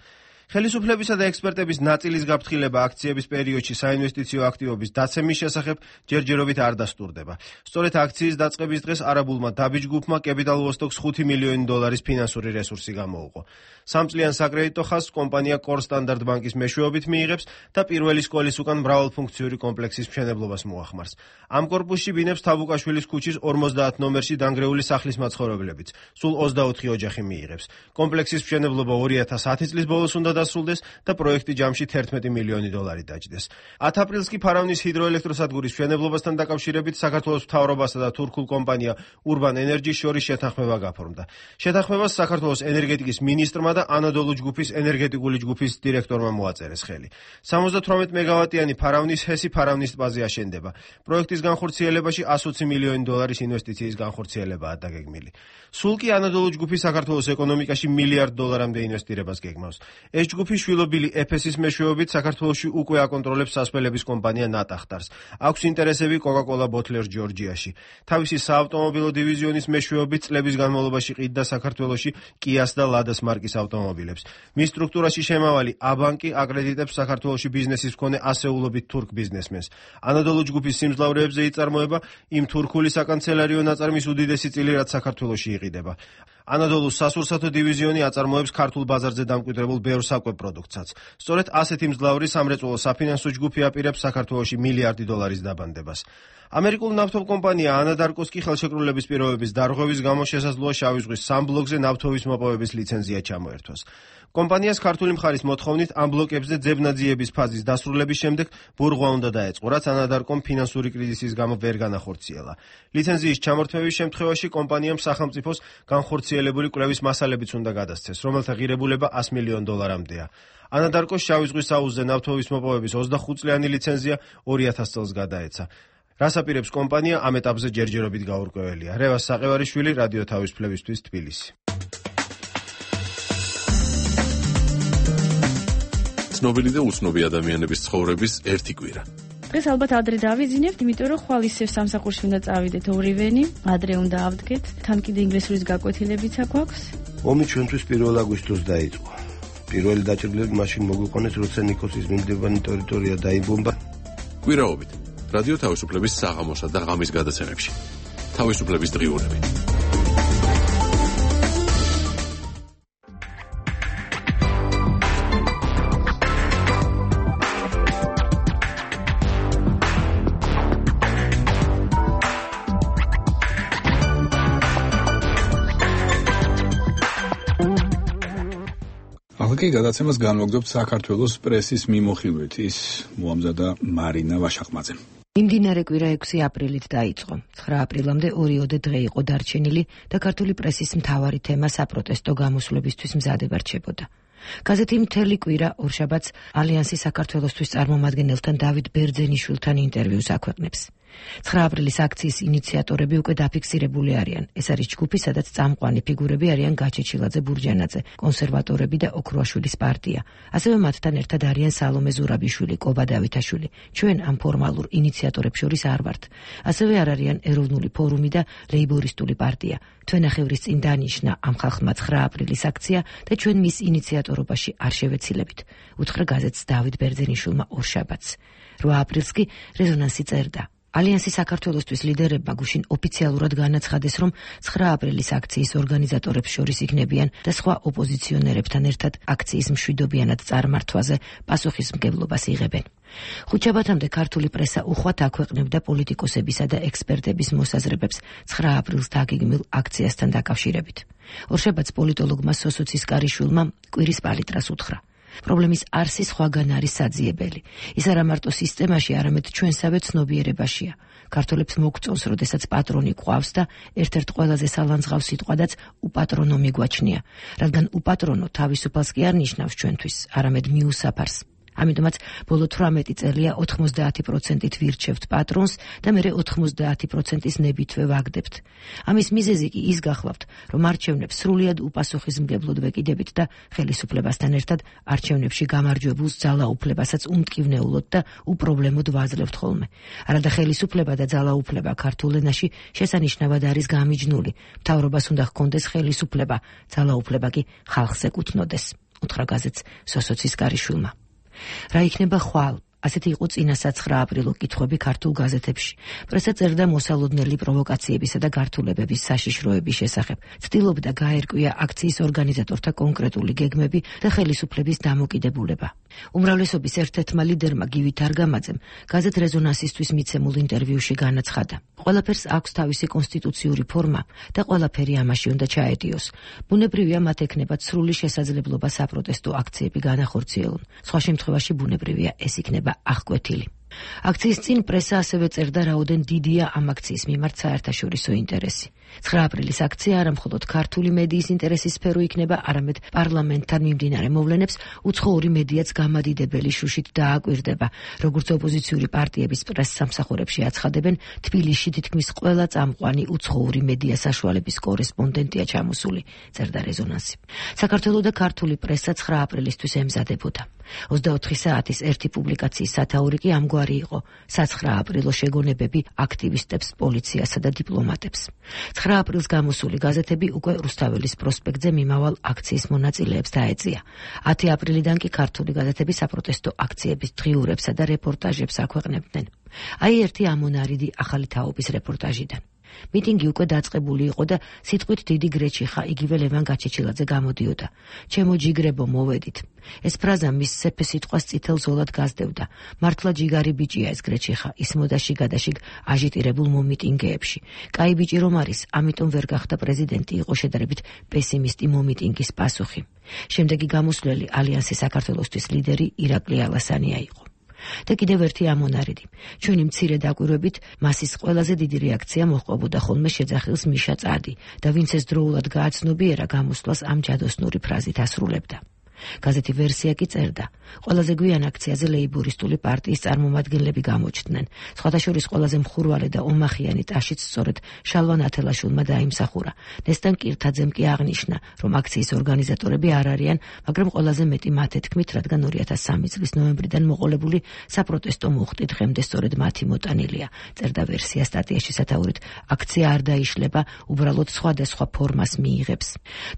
ხელისუფლებისა და ექსპერტების ნაწილის გაფრთხილება აქციების პერიოდში საინვესტიციო აქტივობის დაცემის შესახებ ჯერჯერობით არ დასტურდება. სწორედ აქციის დაწყების დღეს არაბულმა დაბიჯ ჯგუფმა Capital Vostok-ს $5 მილიონი ფინანსური რესურსი გამოუყო. სამწლიან საკრედიტო ხაზს კომპანია Core Standard ბანკის მეშვეობით მიიღებს და პირველი სკოლის უკან მრავალფუნქციური კომპლექსის მშენებლობას მოახმარს. ამ კორპუსში ბინებს თავუკაშვილის ქუჩის 50 ნომერში დანგრეული სახლის მაცხოვრებლებიც. სულ 24 ოჯახი მიიღებს. კომპლექსის მშენებლობა 2010 წლის ბოლოს უნდა დასრულდეს და პროექტი ჯამში $11 მილიონი დაჯდეს. 10 აპრილს კი ფარავნის ჰიდროელექტროსადგურის მშენებლობასთან დაკავშირებით საქართველოს მთავრობასა და თურქულ კომპანია Urban Energy შორის შეთანხმება გაფორმდა. შეთანხმებას საქართველოს ენერგეტიკის მინისტრმა და ანადოლუ ჯგუფის ენერგეტიკული ჯგუფის დირექტორმა მოაწერეს ხელი. 78 მეგავატიანი ფარავნის ჰესი ფარავნის ტბაზე აშენდება. პროექტის განხორციელებაში $120 მილიონი ინვესტიციის განხორციელებაა დაგეგმილი. სულ კი ანადოლუ ჯგუფი საქართველოს ეკონომიკაში $1 მილიარდამდე ინვესტირებას გეგმავს. ეს ჯგუფი შვილობილი EPS-ის მეშვეობით საქართველოში უკვე აკონტროლებს სასმელების კომპანია ნატახტარს. აქვს ინტერესები Coca-Cola Bottlers ჯორჯიაში. თავისი საავტომობილო დივიზიონის მეშვეობით წლების განმავლობაში ყიდდა საქართველოში Kia-ს და Lada-ს მარკის ავტომობილებს. მის სტრუქტურაში შემავალი აბანკი აკრედიტებს საქართველოში ბიზნესის მქონე ასეულობით თურქ ბიზნესმენს. ანადოლუ ჯგუფის სიმძლავრეებზე იწარმოება იმ თურქული საკანცელერიო ნაწარმის უდიდესი წილი, რაც საქართველოში იყიდება. ანადოლუს სასურსათო დივიზიონი აწარმოებს ქართულ ბაზარზე დამკვიდრებულ ბევრ საკვებ პროდუქტსაც. სწორედ ასეთი მძლავრი სამრეწველო საფინანსო ჯგუფი აპირებს საქართველოში $1 მილიარდი დაბანდებას. ამერიკულ ნავთობ კომპანია ანადარკოს კი ხელშეკრულების პირობების დარღვევის გამო შესაძლოა შავი ზღვის სამ ბლოკზე ნავთობის მოპოვების ლიცენზია ჩამოერთვას. კომპანიას ქართული მხარის მოთხოვნით ამ ბლოკებზე ძებნაძიების ფაზის დასრულების შემდეგ ბურღვა უნდა დაეწყო, რაც ანადარკომ ფინანსური კრიზისის გამო ვერ განახორციელა. ლიცენზიის ჩამორთმევის შემთხვევაში კომპანიამ სახელმწიფოს განხორციელებული კვლევის მასალებიც უნდა გადასცეს, რომელთა ღირებულება $100 მილიონამდეა. ანადარკოს შავი ზღვის აუზზე ნავთობის მოპოვების 25 წლიანი ლიცენზია 2000 წელს გადაეცა. რას აპირებს კომპანია ამ ეტაპზე ჯერჯერობით გაურკვეველია. რევას საყევარიშვილი, რადიო თავისუფლებისთვის, თბილისი. ცნობილი და უცნობი ადამიანების ცხოვრების ერთი კვირა. დღეს ალბათ ადრე დავიძინებთ, იმიტომ რომ ხვალ ისევ სამსახურში უნდა წავიდეთ ორივენი, ადრე უნდა ავდგეთ, თან კიდე ინგლისურის გაკვეთილებიც აქვს. ომი ჩვენთვის 1 აგვისტოს დაიწყო. პირველი დაჭრილები მაშინ მოგვიყვანეს, როცა ნიკოსის მინდებანი ტერიტორია დაიბომბა. კვირაობით რადიო თავისუფლების საღამოსა და ღამის გადაცემებში. თავისუფლების დღიურები. ახლა გადაცემას განმოგდობთ საქართველოს პრესის მიმოხილვით, ის მოამზადა მარინა ვაშაყმაძემ. მიმდინარე კვირა 6 აპრილით დაიწყო. 9 აპრილამდე 2 დღე იყო დარჩენილი და ქართული პრესის მთავარი თემა საპროტესტო გამოსვლებისთვის მზადება რჩებოდა. გაზეთი მთელი კვირა ორშაბათს ალიანსის საქართველოსთვის წარმომადგენელთან დავით ბერძენიშვილთან ინტერვიუს აქვეყნებს. 9 აპრილის აქციის ინიციატორები უკვე დაფიქსირებული არიან. ეს არის ჯგუფი, სადაც წამყვანი ფიგურები არიან გაჩეჩილაძე, ბურჯანაძე, კონსერვატორები და ოქროაშვილის პარტია. ასევე მათთან ერთად არიან სალომე ზურაბიშვილი, კობა დავითაშვილი. ჩვენ ამ ფორმალურ ინიციატორებს შორის არ ვართ. ასევე არ არიან ეროვნული ფორუმი და ლეიბორისტული პარტია. თვენახევრის წინ დანიშნა ამ ხალხმა 9 აპრილის აქცია და ჩვენ მის ინიციატორობაში არ შევეცილებით. უთხრა გაზეთს დავით ბერძენიშვილმა ორშაბათს. 8 აპრილს კი რეზონანსი წერდა. ალიანსი საქართველოსთვის ლიდერებმა გუშინ ოფიციალურად განაცხადეს, რომ 9 აპრილის აქციის ორგანიზატორებს შორის იქნებიან და სხვა ოპოზიციონერებთან ერთად აქციის მშვიდობიანად წარმართვაზე პასუხისმგებლობას იღებენ. ხუთშაბათამდე ქართული პრესა უხვად აქვეყნებდა პოლიტიკოსებისა და ექსპერტების მოსაზრებებს 9 აპრილს დაგეგმილ აქციასთან დაკავშირებით. ორშაბათს პოლიტოლოგმა სოსო ცისკარიშვილმა კვირის პალიტრას უთხრა. პრობლემის არსი სხვაგან არის საძიებელი. ის არა მარტო სისტემაში, არამედ ჩვენსავე ცნობიერებაშია. ქართველებს მოგწონს, როდესაც პატრონი გვყავს და ერთ-ერთ ყველაზე სალანძღავს სიტყვადაც უპატრონო მიგვაჩნია, რადგან უპატრონო თავისუფალს კი არ ნიშნავს ჩვენთვის, არამედ მიუსაფარს. ამიტომაც ბოლო 18 წელია 90%-ით ვირჩევთ პატრონს და მერე 90%-ის ნებითვე ვაგდებთ. ამის მიზეზი კი ის გახლავთ, რომ არჩევნებს სრულიად უპასუხისმგებლოდ ვეკიდებით და ხელისუფლებასთან ერთად არჩევნებში გამარჯვებულს ძალაუფლებასაც უმტკივნეულოდ და უპრობლემოდ ვაძლევთ ხოლმე. არადა ხელისუფლება და ძალაუფლება ქართულ ენაში შესანიშნავად არის გამიჯნული. მთავრობას უნდა ჰქონდეს ხელისუფლება, ძალაუფლება კი ხალხს ეკუთვნოდეს. უთხრა გაზეთს სოსო ცისკარიშვილმა. რა იქნება ხვალ? ასეთი იყო წინასა 9 აპრილო კითხვები ქართულ გაზეთებში. პრესა წერდა მოსალოდნელი პროვოკაციებისა და გართულებების საშიშროების შესახებ. ცდილობდა გაერკვია აქციის ორგანიზატორთა კონკრეტული გეგმები და ხელისუფლების დამოკიდებულება. უმრავლესობის ერთ-ერთმა ლიდერმა გივით არგამაძემ გაზეთ რეზონანსისთვის მიცემულ ინტერვიუში განაცხადა. ყველაფერს აქვს თავისი კონსტიტუციური ფორმა და ყველაფერი ამაში უნდა ჩაედიოს. ბუნებრივია მათ ექნებათ სრული შესაძლებლობა საპროტესტო აქციები განახორციელონ. სხვა შემთხვევაში ბუნებრივია ეს იქნება აღკვეთილი. აქციის წინ პრესა ასევე წერდა, რაოდენ დიდია ამ აქციის მიმართ საერთაშორისო ინტერესი. 9 აპრილის აქცია არა მხოლოდ ქართული მედიის ინტერესის სფერო იქნება, არამედ პარლამენტთან მიმდინარე მოვლენებს უცხოური მედიაც გამადიდებელი შუშით დააკვირდება. როგორც ოპოზიციური პარტიების პრესსამსახურებში აცხადებენ, თბილისში თითქმის ყველა წამყვანი უცხოური მედია საშუალების კორესპონდენტია ჩამოსული, წერდა რეზონანსი. საქართველოს და ქართული პრესა 9 აპრილისთვის ემზადებოდა. 24 საათის ერთი პუბლიკაციის სათაური კი ამგვარი იყო: სა-9 აპრილო შეგონებები აქტივისტებს, პოლიციასა და დიპლომატებს. 9 აპრილს გამოსული გაზეთები უკვე რუსთაველის პროსპექტზე მიმავალ აქციის მონაწილეებს დაეწია. 10 აპრილიდან კი ქართული გაზეთები საპროტესტო აქციების დღიურებსა და რეპორტაჟებს აქვეყნებდნენ. აი ერთი ამონარიდი ახალი თაობის რეპორტაჟიდან. მიტინგი უკვე დაწყებული იყო და სიტყვით დიდი გრეჩიხა იგივე ლევან გაჩეჩილაძე გამოდიოდა. ჩემო ჯიგრებო, მოვედით. ეს ფრაზა მის სეფე სიტყვას წითელ ზოლად გასდევდა. მართლა ჯიგარი ბიჭია ეს გრეჩიხა, ისმოდა შიგადაშიგ აჟიტირებულ მომიტინგეებში. კაი ბიჭი რომ არის, ამიტომ ვერ გახდა პრეზიდენტი, იყო შედარებით პესიმისტი მომიტინგის პასუხი. შემდეგი გამოსვლელი ალიანსის საქართველოსთვის ლიდერი ირაკლი ალასანია იყო. და კიდევ ერთი ამონარიდი. ჩვენი მცირე დაკვირვებით მასის ყველაზე დიდი რეაქცია მოჰყავდა ხოლმე შეძახილს მიშა წადი და ვინც ეს დროულად გააცნობიერა გამოსვლას ამ ჯადოსნური ფრაზით ასრულებდა. გაზეთი ვერსია კი წერდა: ყველაზე გვიან აქციაზე ლეიბორისტული პარტიის წარმომადგენლები გამოჩნდნენ. სხვათა შორის ყველაზე მხურვალე და ომახიანი ტაშიც სწორედ შალვა ნათელაშვილმა დაიმსახურა. ნესტან კირთაძემ კი აღნიშნა, რომ აქციის ორგანიზატორები არ არიან, მაგრამ ყველაზე მეტი მათი თქმით, რადგან 2003 წლის ნოემბრიდან მოყოლებული საპროტესტო მუხტი დღემდე სწორედ მათი მოტანილია. წერდა ვერსია სტატიაში სათაურით: აქცია არ დაიშლება, უბრალოდ სხვადასხვა ფორმას მიიღებს.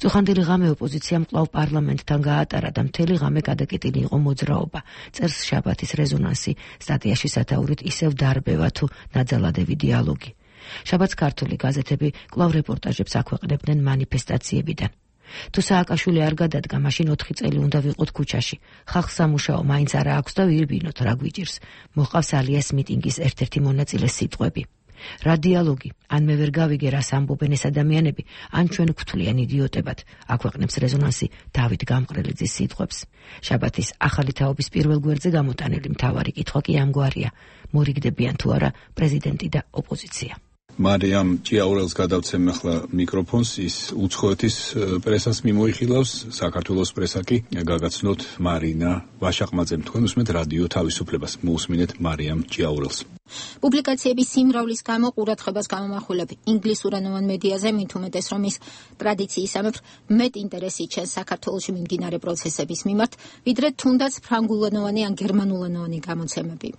წუხანდელი ღამე ოპოზიციამ კვლავ პარლამენტთან გაატარა და მთელი ღამე გადაკეტილი იყო მოძრაობა. წერს შაბათის რეზონანსი სტატიაში სათაურით: ისევ დარბევა თუ ნაძალადევი დიალოგი. შაბათს ქართული გაზეთები კვლავ რეპორტაჟებს აქვეყნებდნენ მანიფესტაციებიდან. თუ სააკაშვილი არ გადადგა, მაშინ 4 წელი უნდა ვიყოთ ქუჩაში. ხალხს სამუშაო მაინც არა აქვს და ვირბინოთ, რა გვიჭირს. მოჰყავს ალიას მიტინგის ერთ-ერთი მონაწილეს სიტყვები: რა დიალოგი? ან მე ვერ გავიგე, რას ამბობენ ეს ადამიანები, ან ჩვენ გვთვლიან იდიოტებად. აქვეყნებს რეზონანსი დავით გამყრელიძის სიტყვებს. შაბათის ახალი თაობის პირველ გვერდზე გამოტანილი მთავარი კითხვა კი ამგვარია: მორიგდებიან თუ არა პრეზიდენტი და ოპოზიცია. მარიამ ჭიაურელს გადავცემ ახლა მიკროფონს, ის უცხოეთის პრესას მიმოიხილავს, საქართველოს პრესა კი გაგაცნოთ მარინა ვაშაყმაძემ. თქვენ უსმენთ რადიო თავისუფლებას. მოусმინეთ მარიამ ჭიაურელს. პუბლიკაციების სიმრავლის გამო ყურადღებას გამომახვილებ ინგლისურენოვან მედიაზე, მით უმეტეს რომ ის ტრადიციისამებრ მეტ ინტერესი ჩანს საქართველოში მიმდინარე პროცესების მიმართ, ვიდრე თუნდაც ფრანგულენოვანი ან გერმანულენოვანი გამოცემები.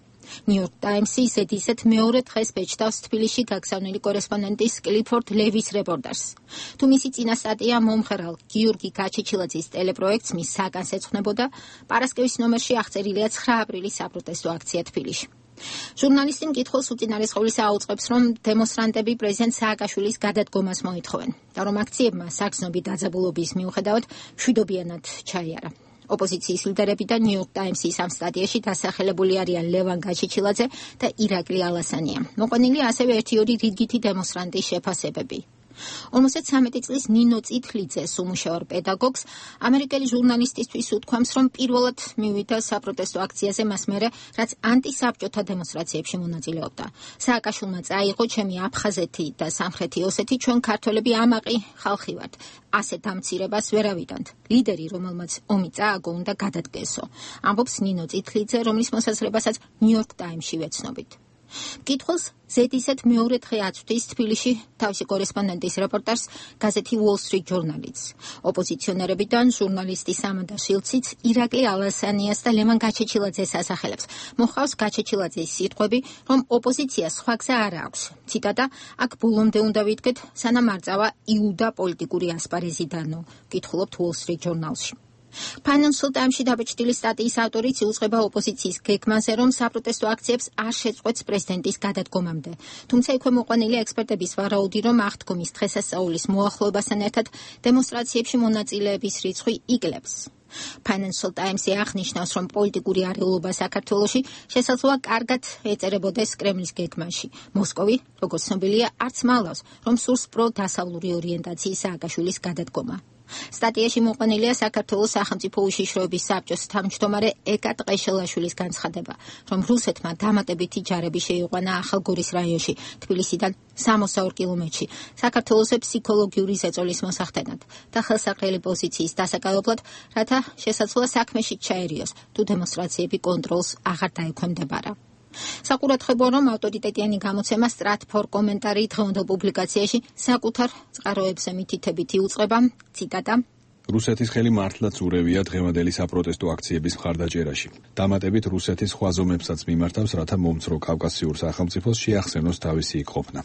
New York Times-ი ისეთ მეორე დღეს ბეჭდავს თბილისში გაგზავნილი კორესპონდენტის კლიფორდ ლევის რეპორტაჟს. თუ მისი წინა სტატია მომღერალ გიორგი გაჩეჩილაძის ტელეპროექტს მის საგანს ეძღვნებოდა, პარასკევის ნომერში აღწერილია 9 აპრილის საპროტესტო აქცია თბილისში. ჟურნალისტი მკითხველს უწინარესყოვლისა აუწყებს, რომ დემონსტრანტები პრეზიდენტ სააკაშვილის გადადგომას მოითხოვენ და რომ აქციებმა საგრძნობი დაძაბულობის მიუხედავად მშვიდობიანად ჩაიარა. ოპოზიციის ლიდერები და New York Times-ის ამ სტატიაში დასახელებული არიან ლევან გაჩეჩილაძე და ირაკლი ალასანია. მოყვანილი ასევე 1-2 რიგითი დემონსტრანტის შეფასებები. 53 წლის ნინო წითლიძეს უმუშაურ პედაგოგს ამერიკელი ჟურნალისტისთვის უთქვამს, რომ პირველად მივიდა საპროტესტო აქციაზე მას მერე, რაც ანტისაბჭოთა დემონსტრაციებში მონაწილეობდა. სააკაშვილმა წაიღო, ჩემი აფხაზეთი და სამხრეთი ოსეთი, ჩვენ ქართველები ამაყი ხალხი ვართ. ასეთ დამცირებას ვერავიდანთ. ლიდერი, რომელმაც ომი წააგო, უნდა გადადგესო. ამბობს ნინო წითლიძე, რომლის მოსაზრებასაც New York Times-ში ვეცნობით. მკითხველს ზედიზედ მეორე დღე აწვდის თბილისში თავისი კორესპონდენტის რეპორტაჟს გაზეთი Wall Street Journal-იც. ოპოზიციონერებიდან ჟურნალისტი სამანდარ შილციც ირაკლი ალასანიას და ლევან გაჩეჩილაძეს ასახელებს. მოხავს გაჩეჩილაძის სიტყვები, რომ ოპოზიციას სხვა გზა არ აქვს. ციტატა: აქ ბოლომდე უნდა ვიდგეთ, სანამ არ წავა იუდა პოლიტიკური ასპარეზი დანო. მკითხულობთ Wall Street Journal-ში. Financial Times-ში დაბეჭდილი სტატიის ავტორიც იუწყება ოპოზიციის გეგმაზე, რომ საპროტესტო აქციებს არ შეწყვეტს პრეზიდენტის გადადგომამდე. თუმცა იქვე მოყვანილია ექსპერტების ვარაუდი, რომ აღდგომის დღესასწაულის მოახლოებასთან ერთად დემონსტრაციებში მონაწილეების რიცხვი იკლებს. Financial Times-ი აღნიშნავს, რომ პოლიტიკური არეულობა საქართველოში შესაძლოა კარგად ეწერებოდეს კრემლის გეგმაში. მოსკოვი, როგორც ცნობილია, არც მალავს, რომ სურს პროდასავლური ორიენტაციის სააკაშვილის გადადგომა. სტატიაში მოყვანილია საქართველოს სახელმწიფო უშიშროების საბჭოს თავმჯდომარე ეკა ტყეშელაშვილის განცხადება, რომ რუსეთმა დამატებითი ჯარები შეიყვანა ახალგორის რაიონში, თბილისიდან 62 კილომეტრში, საქართველოსზე ფსიქოლოგიური ზეწოლის მოსახდენად და ხელსაყრელი პოზიციის დასაკავებლად, რათა შესაძლოა საქმეში ჩაერიოს, თუ დემონსტრაციები კონტროლს აღარ დაექვემდებარა. საყურადღებოა, რომ ავტორიტეტიანი გამოცემა Stratfor კომენტარი დღევანდელ პუბლიკაციაში საკუთარ წყაროებზე მითითებით იუწყება, ციტატა: რუსეთის ხელი მართლაც ურევია დღევანდელი საპროტესტო აქციების მხარდაჭერაში. დამატებით რუსეთის სხვა ზომებსაც მიმართავს, რათა მომცრო კავკასიურ სახელმწიფოს შეახსენოს თავისი იქ-ყოფნა.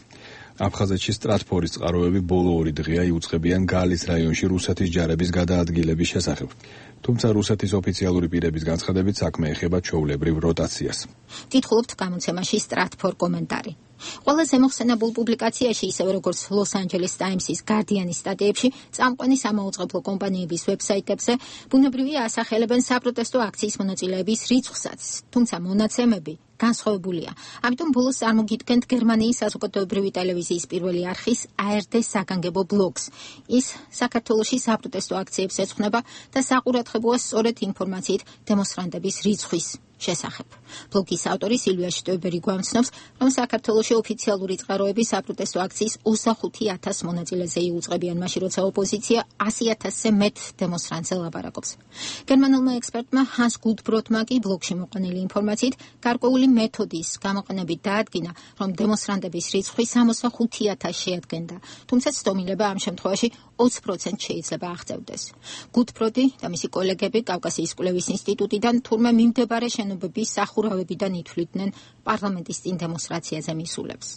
აფხაზეთში Stratfor-ის წყაროები ბოლო 2 დღეა იუწყებიან გალის რაიონში რუსეთის ჯარების გადაადგილების შესახებ. თუმცა რუსეთის ოფიციალური პირების განცხადებით საქმე ეხება ჩვეულებრივ როტაციას. კითხულობთ გამოცემაში Stratfor კომენტარი. ყველაზე მოხსენებულ პუბლიკაციაში, ისევე როგორც Los Angeles Times-ის Guardian-ის სტატიებში, წამყვანი სამაუწყებლო კომპანიების ვებსაიტებზე ბუნებრივია ასახელებენ საპროტესტო აქციის მონაწილეების რიცხვსაც, თუმცა მონაცემები განსხვავებულია. ამიტომ ბოლოს წარმოგიდგენთ გერმანიის საზოგადოებრივი ტელევიზიის პირველი არხის ARD საგანგებო ბლოგს. ის საქართველოში საპროტესტო აქციებს ეძღვნება და საყურადღებოა სწორედ ინფორმაციით დემონსტრანტების რიცხვის შესახებ. ბლოგის ავტორი სილვია შტოიბერი გვამცნობს, რომ საქართველოში ოფიციალური წყაროები საპროტესტო აქციის 25,000 მონაწილეზე იუწყებიან, მაშინ როცა ოპოზიცია 100,000-ზე მეტ დემონსტრანტზე ლაპარაკობს. გერმანულმა ექსპერტმა ჰანს გულდბროტმა კი ბლოგში მოყვანილი ინფორმაციით გარკვეული მეთოდის გამოყენებით დაადგინა, რომ დემონსტრანტების რიცხვი 65,000 შეადგენდა, თუმცა ცდომილება ამ შემთხვევაში 20% შეიძლება აღწევდეს. გულდბროტი და მისი კოლეგები კავკასიის კვლევის ინსტიტუტიდან თურმე მიმდებარე შენობების სახურავებიდან ითვლიდნენ პარლამენტის წინ დემონსტრაციაზე მისულებს.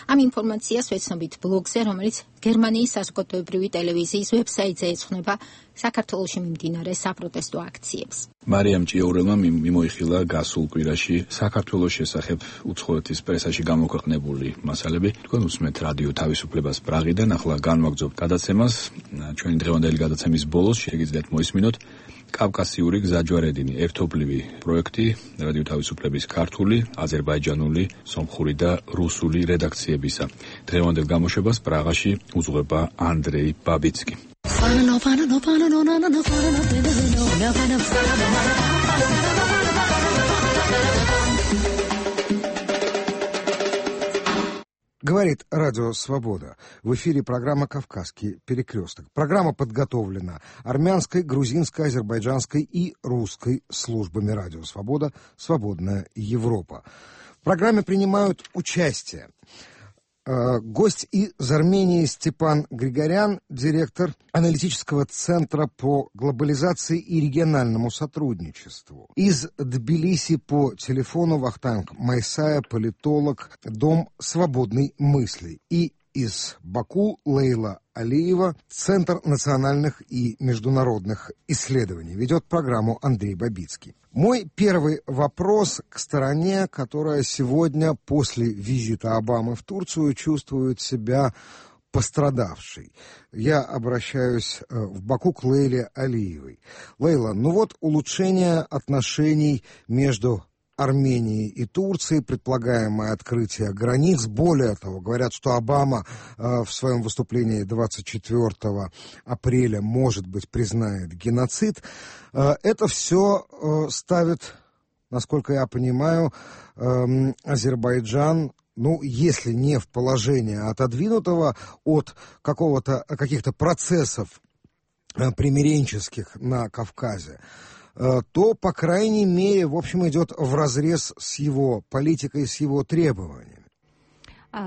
ამ ინფორმაციას ვეცნობით ბლოგზე, რომელიც გერმანიის საზოგადოებრივი ტელევიზიის ვებსაიტზე ეძღვნება საქართველოში მიმდინარე საპროტესტო აქციებს. მარიამ ჭიაურელმა მიმოიხილა გასულ კვირაში საქართველოს შესახებ უცხოეთის პრესაში გამოქვეყნებული მასალები. თქვენ უსმენთ რადიო თავისუფლებას პრაღიდან, ახლა განვაგრძობთ გადაცემას. ჩვენი დღევანდელი გადაცემის ბოლოს შეგიძლიათ მოისმინოთ კავკასიური გზაჯვარედინი, ერთობლივი პროექტი რადიო თავისუფლების ქართული, აზერბაიჯანული, სომხური და რუსული რედაქციებისა. დღევანდელ გამოშვებას პრაღაში უძღვება ანდრეი ბაბიცკი. Говорит Радио Свобода. В эфире программа «Кавказский перекресток». Программа подготовлена армянской, грузинской, азербайджанской и русской службами Радио Свобода, Свободная Европа. программе принимают участие гость из Армении Степан Григорян, директор аналитического центра по глобализации и региональному сотрудничеству. Из Тбилиси по телефону Вахтанг Майсая, политолог, Дом свободной мысли. И из Баку Лейла Алиева, Центр национальных и международных исследований. Ведет программу Андрей Бабицкий. Мой первый вопрос к стороне, которая сегодня после визита Обамы в Турцию чувствует себя пострадавшей. Я обращаюсь в Баку к Лейле Алиевой. Лейла, улучшение отношений между Армении и Турции, предполагаемое открытие границ. Более того, говорят, что Обама в своем выступлении 24 апреля, может быть, признает геноцид. Это все ставит, насколько я понимаю, Азербайджан, если не в положение отодвинутого от каких-то процессов примиренческих на Кавказе, то, по крайней мере, в общем, идет вразрез с его политикой, с его требованиями.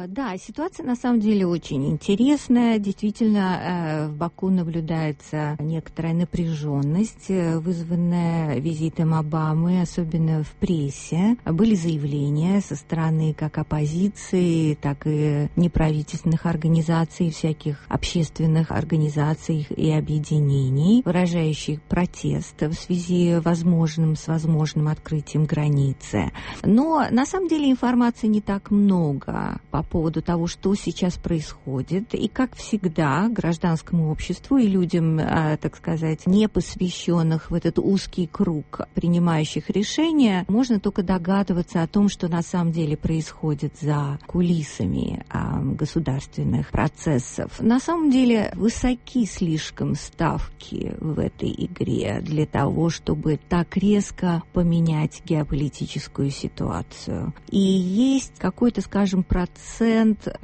Да, ситуация на самом деле очень интересная. Действительно, в Баку наблюдается некоторая напряженность, вызванная визитом Обамы, особенно в прессе. Были заявления со стороны как оппозиции, так и неправительственных организаций, всяких общественных организаций и объединений, выражающих протест в связи с возможным открытием границы. Но на самом деле информации не так много по поводу того, что сейчас происходит. И, как всегда, гражданскому обществу и людям, так сказать, не посвященных в этот узкий круг принимающих решения, можно только догадываться о том, что на самом деле происходит за кулисами государственных процессов. На самом деле высоки слишком ставки в этой игре для того, чтобы так резко поменять геополитическую ситуацию. И есть какой-то, скажем, процент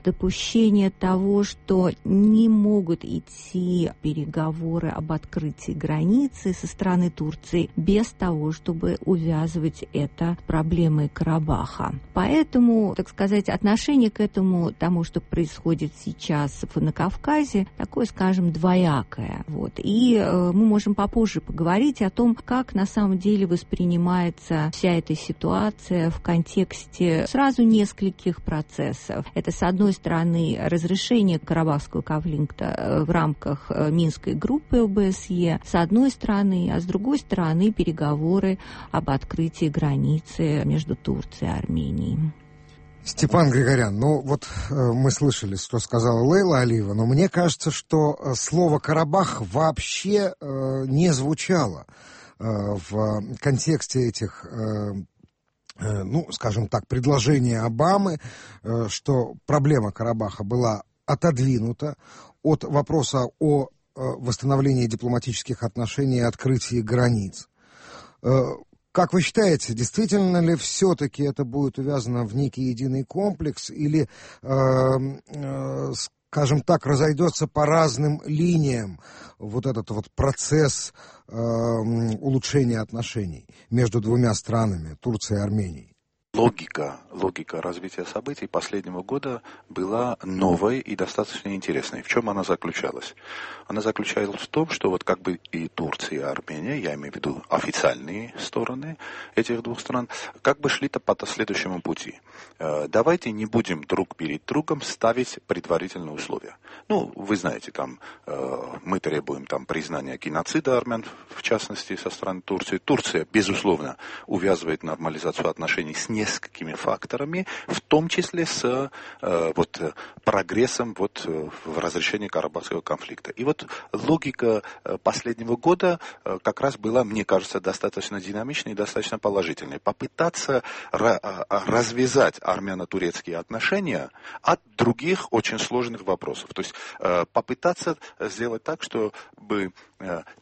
допущения того, что не могут идти переговоры об открытии границы со стороны Турции без того, чтобы увязывать это проблемой Карабаха. Поэтому, так сказать, отношение к тому, что происходит сейчас на Кавказе, такое, скажем, двоякое. И мы можем попозже поговорить о том, как на самом деле воспринимается вся эта ситуация в контексте сразу нескольких процессов. Это, с одной стороны, разрешение карабахского конфликта в рамках Минской группы ОБСЕ, с одной стороны, а с другой стороны, переговоры об открытии границы между Турцией и Арменией. Степан Григорян, мы слышали, что сказала Лейла Алиева, но мне кажется, что слово «Карабах» вообще не звучало в контексте этих скажем так, предложение Обамы, что проблема Карабаха была отодвинута от вопроса о восстановлении дипломатических отношений и открытии границ. Как вы считаете, действительно ли все-таки это будет увязано в некий единый комплекс или, скажем так, разойдется по разным линиям этот процесс улучшения отношений между двумя странами, Турцией и Арменией? Логика развития событий последнего года была новой и достаточно интересной. В чем она заключалась? Она заключалась в том, что и Турция, и Армения, я имею в виду официальные стороны этих двух стран, шли-то по следующему пути. Давайте не будем друг перед другом ставить предварительные условия. Вы знаете, мы требуем признания геноцида армян, в частности, со стороны Турции. Турция, безусловно, увязывает нормализацию отношений с несколькими факторами, в том числе с прогрессом в разрешении Карабахского конфликта. И логика последнего года как раз была, мне кажется, достаточно динамичной и достаточно положительной. Попытаться развязать армяно-турецкие отношения от других очень сложных вопросов. То есть попытаться сделать так, чтобы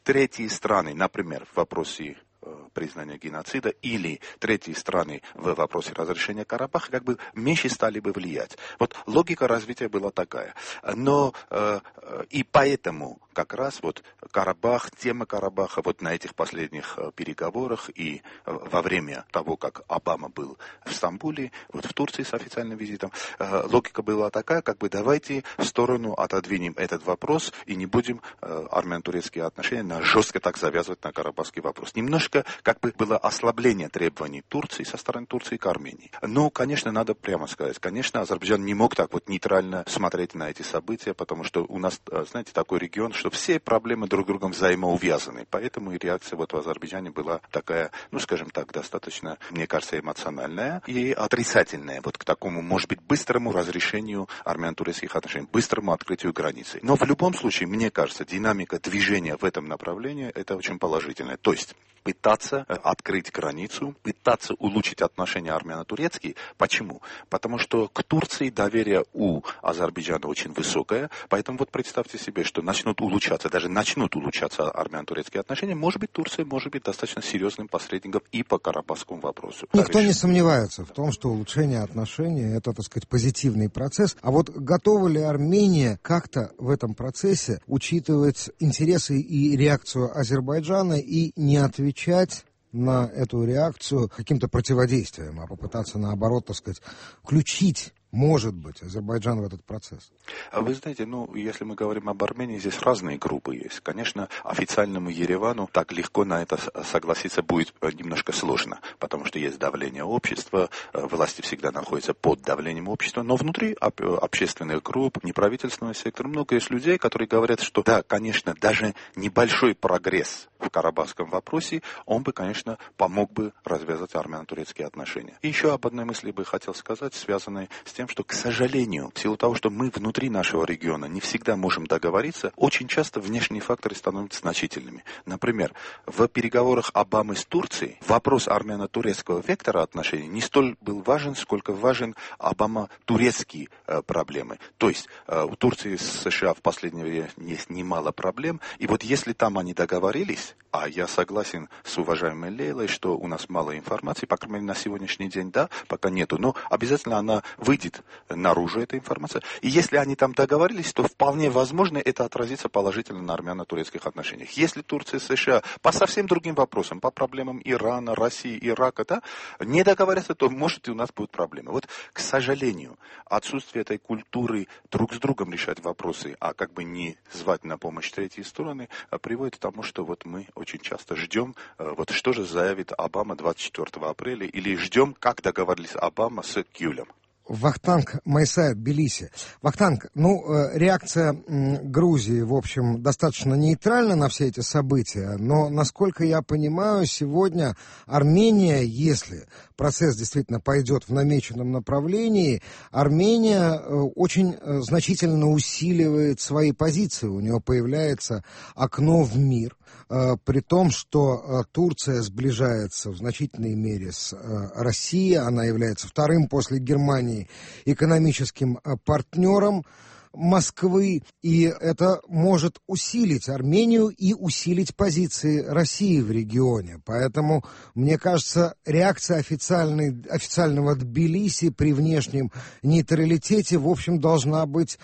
третьи страны, например, в вопросе признания геноцида или третьи страны в вопросе разрешения Карабаха меньше стали бы влиять. Логика развития была такая. Но И поэтому как раз вот Карабах, тема Карабаха вот на этих последних переговорах и во время того, как Обама был в Стамбуле, вот в Турции с официальным визитом, логика была такая, как бы давайте в сторону отодвинем этот вопрос и не будем армяно-турецкие отношения жестко так завязывать на карабахский вопрос. Немножко как бы было ослабление требований Турции со стороны Турции к Армении. Но, конечно, надо прямо сказать, конечно, Азербайджан не мог так вот нейтрально смотреть на эти события, потому что у нас, знаете, такой регион, что все проблемы друг с другом взаимоувязаны. Поэтому и реакция вот в Азербайджане была такая, ну, скажем так, достаточно, мне кажется, эмоциональная и отрицательная вот к такому, может быть, быстрому разрешению армяно-турецких отношений, быстрому открытию границы. Но в любом случае, мне кажется, динамика движения в этом направлении это очень положительная. То есть пытаться открыть границу, пытаться улучшить отношения армяно-турецкие. Почему? Потому что к Турции доверие у Азербайджана очень высокое, поэтому вот представьте себе, что начнут улучшаться армяно-турецкие отношения, может быть, Турция может быть достаточно серьезным посредником и по карабахскому вопросу. Никто не сомневается в том, что улучшение отношений – это, так сказать, позитивный процесс. А вот готова ли Армения как-то в этом процессе учитывать интересы и реакцию Азербайджана и не отвечать на эту реакцию каким-то противодействием, а попытаться, наоборот, так сказать, включить, может быть, Азербайджан в этот процесс? Вы знаете, если мы говорим об Армении, здесь разные группы есть. Конечно, официальному Еревану так легко на это согласиться будет немножко сложно, потому что есть давление общества, власти всегда находятся под давлением общества, но внутри общественных групп, неправительственного сектора много есть людей, которые говорят, что да, конечно, даже небольшой прогресс в карабахском вопросе, он бы, конечно, помог бы развязать армяно-турецкие отношения. И еще об одной мысли бы хотел сказать, связанной с тем, что, к сожалению, в силу того, что мы внутри нашего региона не всегда можем договориться, очень часто внешние факторы становятся значительными. Например, в переговорах Обамы с Турцией вопрос армяно-турецкого вектора отношений не столь был важен, сколько важен Обама-турецкие проблемы. То есть у Турции с США в последнее время есть немало проблем, и вот если там они договорились, а я согласен с уважаемой Лейлой, что у нас мало информации, по крайней мере, на сегодняшний день, да, пока нету, но обязательно она выйдет наружу, эта информация. И если они там договорились, то вполне возможно это отразится положительно на армяно-турецких отношениях. Если Турция и США по совсем другим вопросам, по проблемам Ирана, России, Ирака, да, не договорятся, то может и у нас будут проблемы. Вот, к сожалению, отсутствие этой культуры друг с другом решать вопросы, а как бы не звать на помощь третьи стороны, приводит к тому, что вот мы очень часто ждем, вот что же заявит Обама 24 апреля, или ждем, как договорились Обама с Гюлем. Вахтанг Майсаев, Тбилиси. Вахтанг, реакция Грузии, в общем, достаточно нейтральна на все эти события, но, насколько я понимаю, сегодня Армения, если процесс действительно пойдет в намеченном направлении, Армения очень значительно усиливает свои позиции, у нее появляется окно в мир, при том, что Турция сближается в значительной мере с Россией, она является вторым после Германии экономическим партнером Москвы, и это может усилить Армению и усилить позиции России в регионе. Поэтому, мне кажется, реакция официального Тбилиси при внешнем нейтралитете, в общем, должна быть,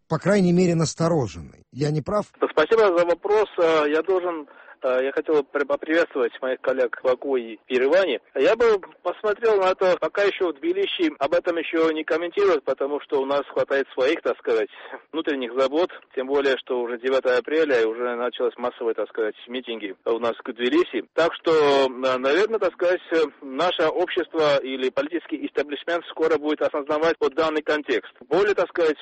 по крайней мере, настороженной. Я не прав? Спасибо за вопрос. Я хотел поприветствовать моих коллег в Баку и Ереване. Я бы посмотрел на это, пока еще в Тбилиси об этом еще не комментируют, потому что у нас хватает своих, так сказать, внутренних забот, тем более, что уже 9 апреля и уже началось массовые, так сказать, митинги у нас в Тбилиси. Так что, наверное, так сказать, наше общество или политический истеблишмент скоро будет осознавать вот данный контекст. Более, так сказать,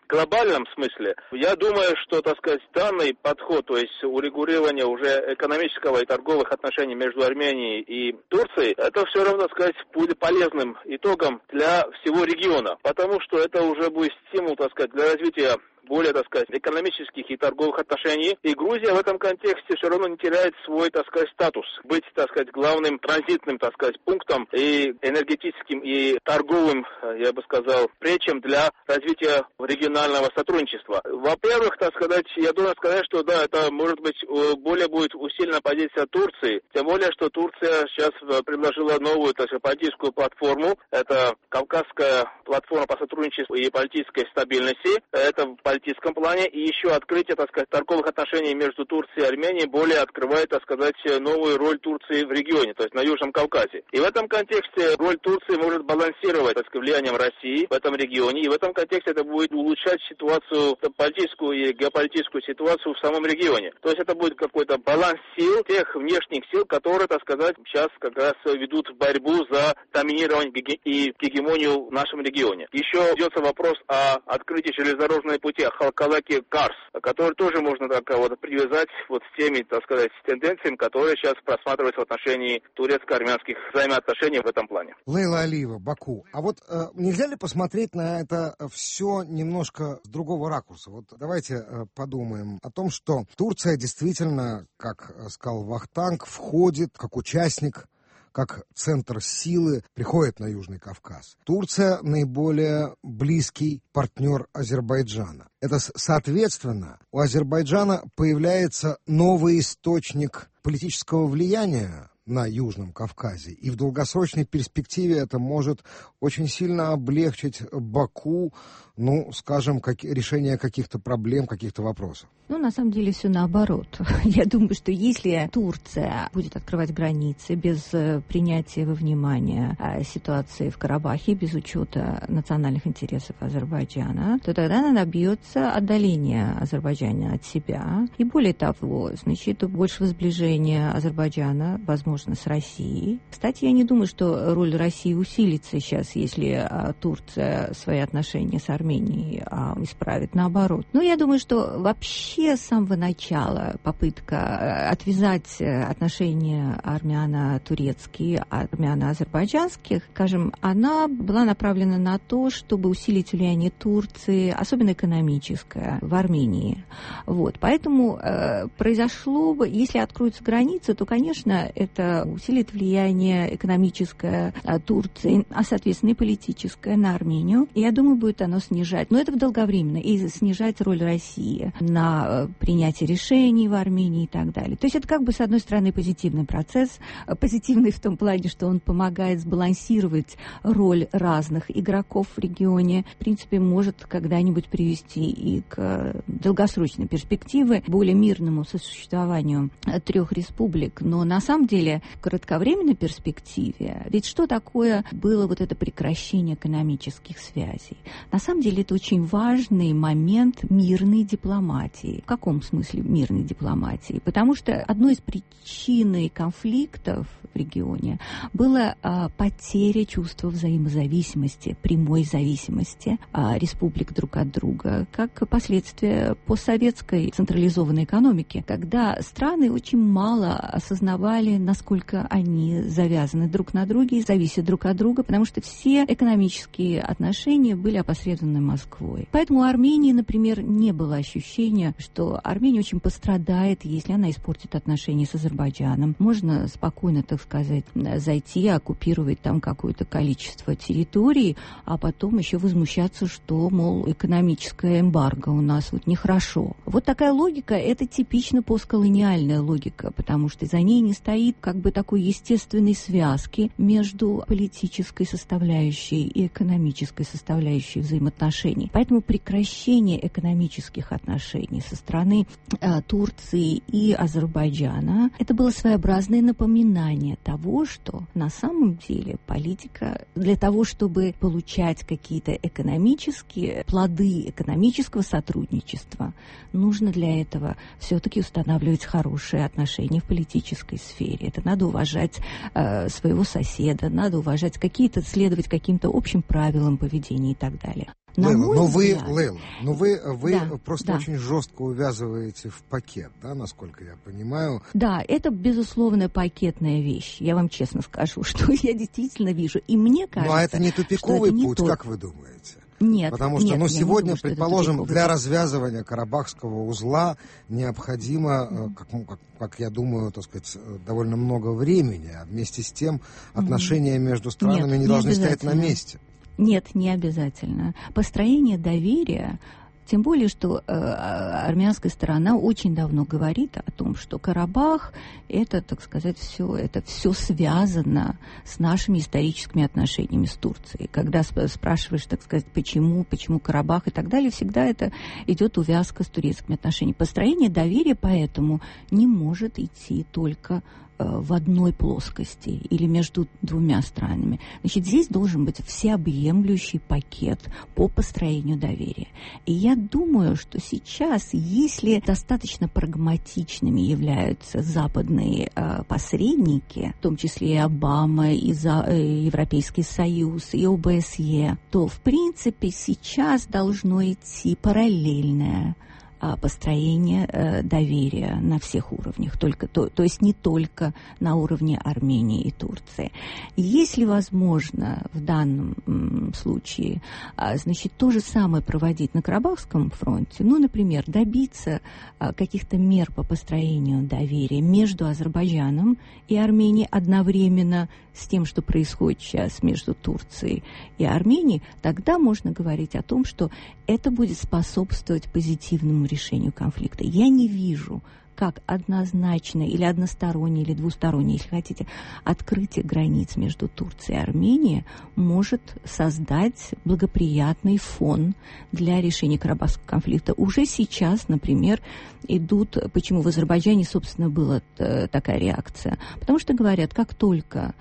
глобальном смысле, я думаю, что, так сказать, данный подход, то есть урегулирование уже экономического и торговых отношений между Арменией и Турцией, это все равно, так сказать, будет полезным итогом для всего региона, потому что это уже будет стимул, так сказать, для развития более, так сказать, экономических и торговых отношений. И Грузия в этом контексте все равно не теряет свой, так сказать, статус. Быть, так сказать, главным транзитным, так сказать, пунктом и энергетическим, и торговым, я бы сказал, пречем для развития регионального сотрудничества. Во-первых, так сказать, я должен сказать, что да, это может быть более будет усилена позиция Турции. Тем более, что Турция сейчас предложила новую, так сказать, политическую платформу. Это Кавказская платформа по сотрудничеству и политической стабильности. Это геополитическом плане, и еще открытие, так сказать, торговых отношений между Турцией и Арменией более открывает, так сказать, новую роль Турции в регионе, то есть на Южном Кавказе. И в этом контексте роль Турции может балансировать, так сказать, влиянием России в этом регионе, и в этом контексте это будет улучшать ситуацию, политическую и геополитическую ситуацию в самом регионе. То есть это будет какой-то баланс сил, тех внешних сил, которые, так сказать, сейчас как раз ведут борьбу за доминирование и гегемонию в нашем регионе. Еще ведется вопрос о открытии железнодорожной пути Халкалаки-Карс, который тоже можно так вот привязать вот с теми, так сказать, тенденциями, которые сейчас просматриваются в отношении турецко-армянских взаимоотношений в этом плане. Лейла Алиева, Баку. А вот нельзя ли посмотреть на это все немножко с другого ракурса? Вот давайте подумаем о том, что Турция действительно, как сказал Вахтанг, входит как участник, как центр силы, приходит на Южный Кавказ. Турция наиболее близкий партнер Азербайджана. Это, соответственно, у Азербайджана появляется новый источник политического влияния на Южном Кавказе. И в долгосрочной перспективе это может очень сильно облегчить Баку, скажем, решение каких-то проблем, каких-то вопросов. На самом деле все наоборот. Я думаю, что если Турция будет открывать границы без принятия во внимание ситуации в Карабахе, без учета национальных интересов Азербайджана, то тогда она добьется отдаления Азербайджана от себя. И более того, значит, большего сближения Азербайджана, возможно, с Россией. Кстати, я не думаю, что роль России усилится сейчас, если Турция свои отношения с Арменией исправит. Наоборот. Но я думаю, что вообще с самого начала попытка отвязать отношения армяно-турецкие от армяно-азербайджанских, скажем, она была направлена на то, чтобы усилить влияние Турции, особенно экономическое, в Армении. Вот. Поэтому произошло бы, если откроются границы, то, конечно, это усилит влияние экономическое Турции, а, соответственно, и политическое на Армению. И я думаю, будет оно снижать. Но это долговременно. И снижать роль России на принятие решений в Армении и так далее. То есть это как бы, с одной стороны, позитивный процесс. Позитивный в том плане, что он помогает сбалансировать роль разных игроков в регионе. В принципе, может когда-нибудь привести и к долгосрочной перспективе, более мирному сосуществованию трех республик. Но на самом деле в кратковременной перспективе, ведь что такое было вот это прекращение экономических связей? На самом деле это очень важный момент мирной дипломатии. В каком смысле мирной дипломатии? Потому что одной из причин конфликтов в регионе была потеря чувства взаимозависимости, прямой зависимости республик друг от друга, как последствие постсоветской централизованной экономики, когда страны очень мало осознавали, насколько они завязаны друг на друге и зависят друг от друга, потому что все экономические отношения были опосредованы Москвой. Поэтому у Армении, например, не было ощущения, что Армения очень пострадает, если она испортит отношения с Азербайджаном. Можно спокойно, так сказать, зайти, оккупировать там какое-то количество территорий, а потом еще возмущаться, что, мол, экономическое эмбарго у нас вот нехорошо. Вот такая логика, это типично постколониальная логика, потому что за ней не стоит как бы такой естественной связки между политической составляющей и экономической составляющей взаимоотношений. Поэтому прекращение экономических отношений со стороны Турции и Азербайджана это было своеобразное напоминание того, что на самом деле политика для того, чтобы получать какие-то экономические плоды экономического сотрудничества, нужно для этого все-таки устанавливать хорошие отношения в политической сфере. Это надо уважать своего соседа, надо уважать следовать каким-то общим правилам поведения и так далее. Лейла, вы просто очень жестко увязываете в пакет, да, насколько я понимаю. Да, это, безусловно, пакетная вещь. Я вам честно скажу, что я действительно вижу. И мне кажется, но это не тупиковый путь, как вы думаете? Нет. Потому что, сегодня, думаю, предположим, для развязывания Карабахского узла необходимо, как я думаю, так сказать, довольно много времени, а вместе с тем отношения между странами не должны стоять на месте. Нет, не обязательно. Построение доверия Тем более, что армянская сторона очень давно говорит о том, что Карабах это, так сказать, все связано с нашими историческими отношениями с Турцией. Когда спрашиваешь, так сказать, почему Карабах и так далее, всегда это идет увязка с турецкими отношениями. Построение доверия поэтому не может идти только в одной плоскости или между двумя странами. Значит, здесь должен быть всеобъемлющий пакет по построению доверия. И я думаю, что сейчас, если достаточно прагматичными являются западные посредники, в том числе и Обама, и Европейский Союз, и ОБСЕ, то, в принципе, сейчас должно идти параллельное построение доверия на всех уровнях, то есть не только на уровне Армении и Турции. Если возможно в данном случае, значит, то же самое проводить на Карабахском фронте, например, добиться каких-то мер по построению доверия между Азербайджаном и Арменией одновременно с тем, что происходит сейчас между Турцией и Арменией, тогда можно говорить о том, что это будет способствовать позитивному решению конфликта. Я не вижу, как однозначно или одностороннее, или двустороннее, если хотите, открытие границ между Турцией и Арменией может создать благоприятный фон для решения Карабахского конфликта. Уже сейчас, например, идут, почему в Азербайджане, собственно, была такая реакция. Потому что говорят, как только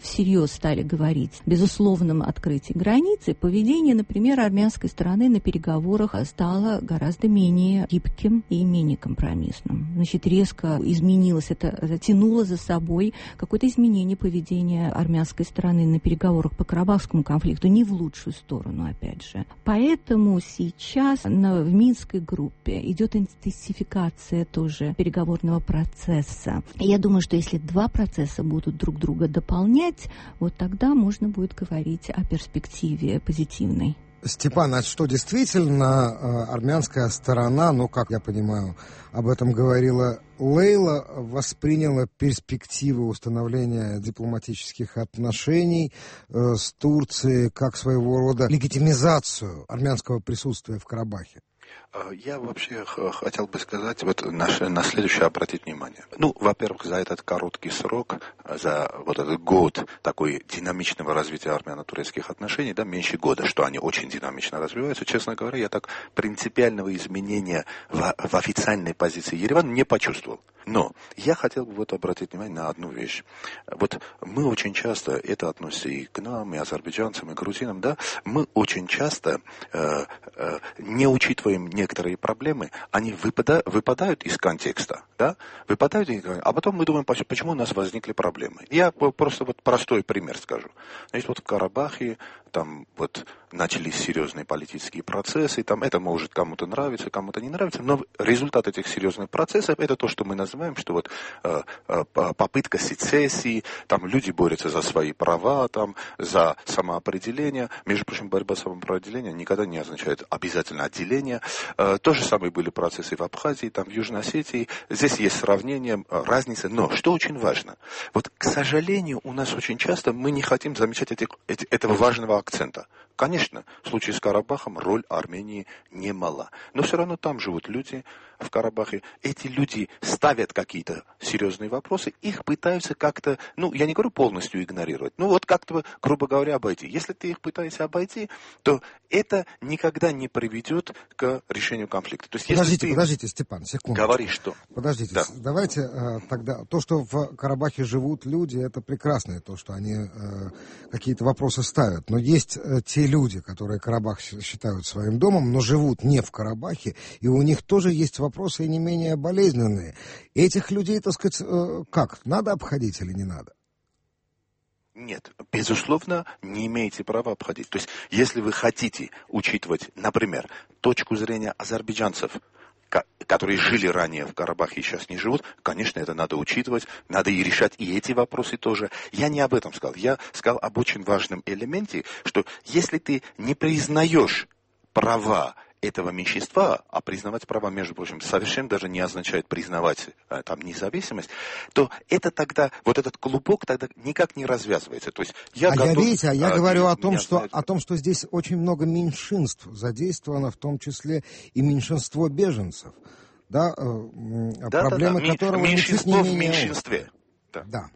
всерьез стали говорить о безусловном открытии границы, поведение, например, армянской стороны на переговорах стало гораздо менее гибким и менее компромиссным. Значит, резко изменилось, это тянуло за собой какое-то изменение поведения армянской стороны на переговорах по Карабахскому конфликту, не в лучшую сторону, опять же. Поэтому сейчас в Минской группе идет интенсификация тоже переговорного процесса. И я думаю, что если два процесса будут друг друга дополнять, вот тогда можно будет говорить о перспективе позитивной. Степан, а что действительно армянская сторона, как я понимаю, об этом говорила Лейла, восприняла перспективы установления дипломатических отношений с Турцией как своего рода легитимизацию армянского присутствия в Карабахе? Я вообще хотел бы сказать, на следующее обратить внимание. Во-первых, за этот короткий срок, за этот год такой динамичного развития армяно-турецких отношений, меньше года, что они очень динамично развиваются, честно говоря, я так принципиального изменения в официальной позиции Еревана не почувствовал. Но я хотел бы обратить внимание на одну вещь. Мы очень часто, это относится и к нам, и азербайджанцам, и грузинам, мы очень часто не учитываем некоторые проблемы, они выпадают из контекста, а потом мы думаем, почему у нас возникли проблемы. Я просто простой пример скажу. Значит, в Карабахе начались серьезные политические процессы, это может кому-то нравиться, кому-то не нравится, но результат этих серьезных процессов это то, что мы называем, что попытка сецессии, люди борются за свои права, за самоопределение. Между прочим, борьба за самоопределение никогда не означает обязательно отделение. То же самое были процессы в Абхазии, в Южной Осетии. Здесь есть сравнение, разница, но что очень важно, к сожалению, у нас очень часто мы не хотим замечать этого важного акцента. Конечно, в случае с Карабахом роль Армении немала. Но все равно там живут люди в Карабахе. Эти люди ставят какие-то серьезные вопросы, их пытаются как-то, я не говорю полностью игнорировать, как-то, грубо говоря, обойти. Если ты их пытаешься обойти, то это никогда не приведет к решению конфликта. То есть, Подождите, Степан, секунду. Говоришь, что... Подождите, давайте тогда... То, что в Карабахе живут люди, это прекрасно, то, что они какие-то вопросы ставят. Но есть те люди, которые Карабах считают своим домом, но живут не в Карабахе, и у них тоже есть вопросы не менее болезненные. Этих людей, так сказать, как? Надо обходить или не надо? Нет, безусловно, не имеете права обходить. То есть, если вы хотите учитывать, например, точку зрения азербайджанцев, которые жили ранее в Карабахе и сейчас не живут, конечно, это надо учитывать, надо и решать и эти вопросы тоже. Я не об этом сказал. Я сказал об очень важном элементе, что если ты не признаешь права этого меньшинства, а признавать права, между прочим, совершенно даже не означает признавать там независимость, то это тогда, вот этот клубок тогда никак не развязывается. То есть я говорю о том, что здесь очень много меньшинств задействовано, в том числе и меньшинство беженцев, да, проблемы которого меньшинство в меньшинстве. Да. Да.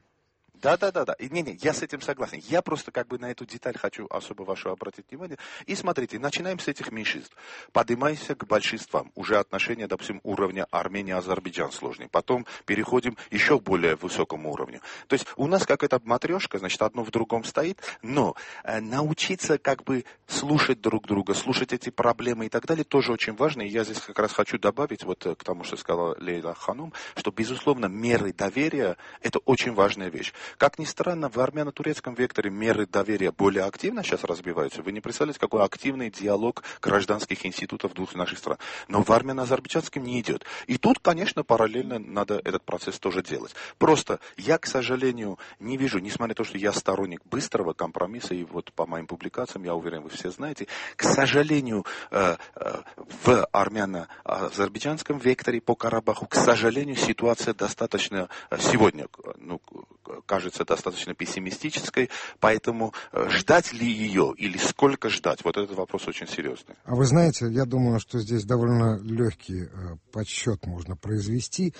Не, я с этим согласен. Я просто на эту деталь хочу особо вашу обратить внимание. И смотрите, начинаем с этих меньшинств. Поднимаемся к большинствам. Уже отношения, допустим, уровня Армения-Азербайджан сложнее. Потом переходим еще к более высокому уровню. То есть у нас какая-то матрешка, значит, одно в другом стоит. Но научиться слушать друг друга, слушать эти проблемы и так далее, тоже очень важно. И я здесь как раз хочу добавить к тому, что сказала Лейла Ханум, что, безусловно, меры доверия – это очень важная вещь. Как ни странно, в армяно-турецком векторе меры доверия более активно сейчас разбиваются. Вы не представляете, какой активный диалог гражданских институтов двух наших стран. Но в армяно-азербайджанском не идет. И тут, конечно, параллельно надо этот процесс тоже делать. Просто я, к сожалению, не вижу, несмотря на то, что я сторонник быстрого компромисса, и по моим публикациям, я уверен, вы все знаете, к сожалению, в армяно-азербайджанском векторе по Карабаху, к сожалению, ситуация достаточно сегодня, кажется достаточно пессимистической, поэтому ждать ли ее или сколько ждать, вот этот вопрос очень серьезный. А вы знаете, я думаю, что здесь довольно легкий подсчет можно произвести.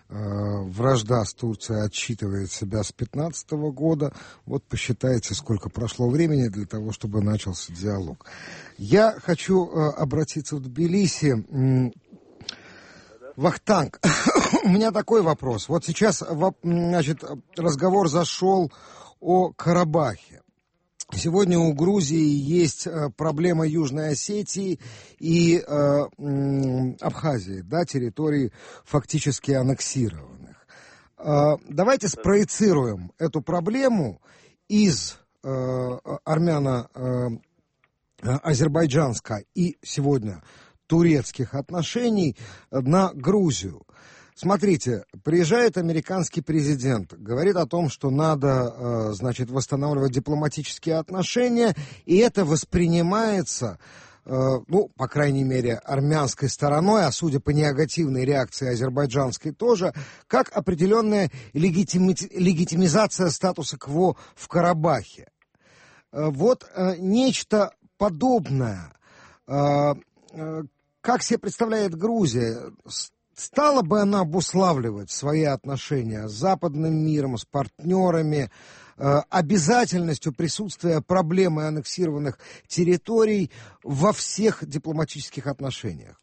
Вражда с Турцией отсчитывает себя с 2015 года. Вот посчитайте, сколько прошло времени для того, чтобы начался диалог. Я хочу обратиться в Тбилиси. Вахтанг, у меня такой вопрос. Вот сейчас, разговор зашел о Карабахе. Сегодня у Грузии есть проблема Южной Осетии и Абхазии, да, фактически аннексированных. Давайте спроецируем эту проблему из армяно-азербайджанска и сегодня турецких отношений на Грузию. Смотрите, приезжает американский президент, говорит о том, что надо, восстанавливать дипломатические отношения, и это воспринимается, по крайней мере, армянской стороной, а судя по негативной реакции азербайджанской тоже, как определенная легитимизация статуса КВО в Карабахе. Вот нечто подобное. Как себе представляет Грузия, стала бы она обуславливать свои отношения с западным миром, с партнерами, обязательностью присутствия проблемы аннексированных территорий во всех дипломатических отношениях?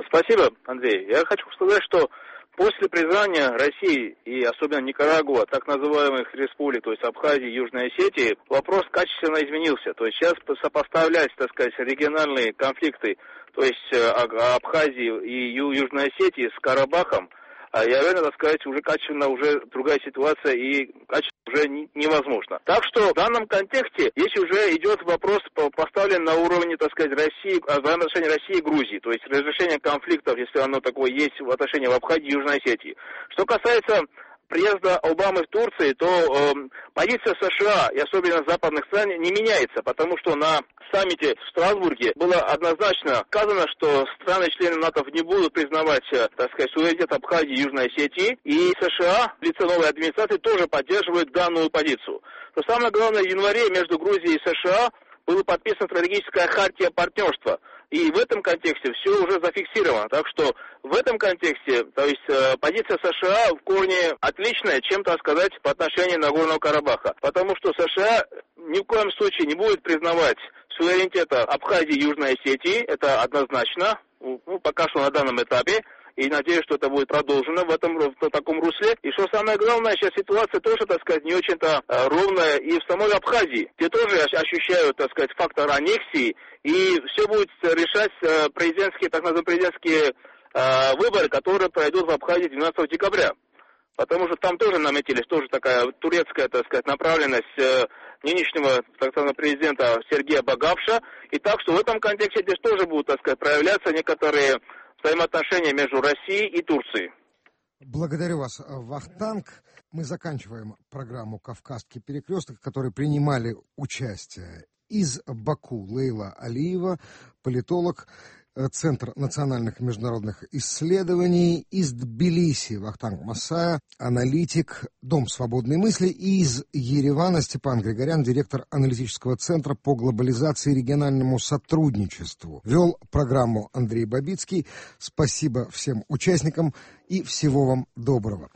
Спасибо, Андрей. Я хочу сказать, что после признания России и особенно Никарагуа, так называемых республик, то есть Абхазии и Южной Осетии, вопрос качественно изменился. То есть сейчас сопоставлять, региональные конфликты, то есть Абхазии и Южной Осетии с Карабахом, я уверен, уже качественно, уже другая ситуация и качественно уже невозможно. Так что в данном контексте здесь уже идет вопрос поставлен на уровне, России, взаимоотношений России и Грузии, то есть разрешение конфликтов, если оно такое есть в отношении Абхазии и Южной Осетии. Что касается приезда Обамы в Турцию, то позиция США и особенно западных стран не меняется, потому что на саммите в Страсбурге было однозначно сказано, что страны-члены НАТО не будут признавать, суверенитет Абхазии и Южной Осетии, и США в лице новой администрации тоже поддерживают данную позицию. Но самое главное, в январе между Грузией и США была подписана стратегическая хартия партнерства. И в этом контексте все уже зафиксировано. Так что в этом контексте, то есть позиция США в корне отличная, чем, сказать, по отношению Нагорного Карабаха. Потому что США ни в коем случае не будет признавать суверенитета Абхазии и Южной Осетии. Это однозначно, пока что на данном этапе. И надеюсь, что это будет продолжено в таком русле. И что самое главное, сейчас ситуация тоже, не очень-то ровная и в самой Абхазии, где тоже ощущают, фактор аннексии. И все будет решать так называемые президентские выборы, которые пройдут в Абхазии 12 декабря. Потому что там тоже наметились такая турецкая, направленность нынешнего, президента Сергея Багапша. И так что в этом контексте здесь тоже будут, проявляться некоторые взаимоотношения между Россией и Турцией. Благодарю вас, Вахтанг. Мы заканчиваем программу «Кавказский перекресток», в которой принимали участие из Баку Лейла Алиева, политолог, Центр национальных и международных исследований, из Тбилиси Вахтанг Масая, аналитик, Дом свободной мысли, и из Еревана Степан Григорян, директор аналитического центра по глобализации и региональному сотрудничеству. Вел программу Андрей Бабицкий. Спасибо всем участникам и всего вам доброго.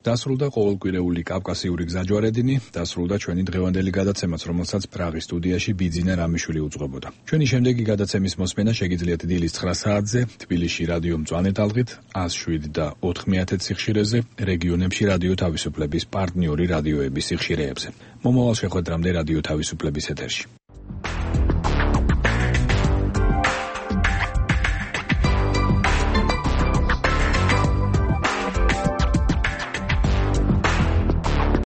დასრულდა ყოველკვირეული კავკასიური გზაჯვარედინი, დასრულდა ჩვენი დღევანდელი გადაცემაც, რომელსაც პრაღის სტუდიაში ბიძინა რამიშვილი უძღვებოდა. ჩვენი შემდეგი გადაცემის მოსმენა შეგიძლიათ დილის 9 საათზე, თბილისში რადიო მწვანე ტალღით, 107 და 4/10 სიხშირეზე, რეგიონებში რადიო თავისუფლების პარტნიორი რადიოების სიხშირეებზე. მომავალ შეხვედრამდე რადიო თავისუფლების ეთერში.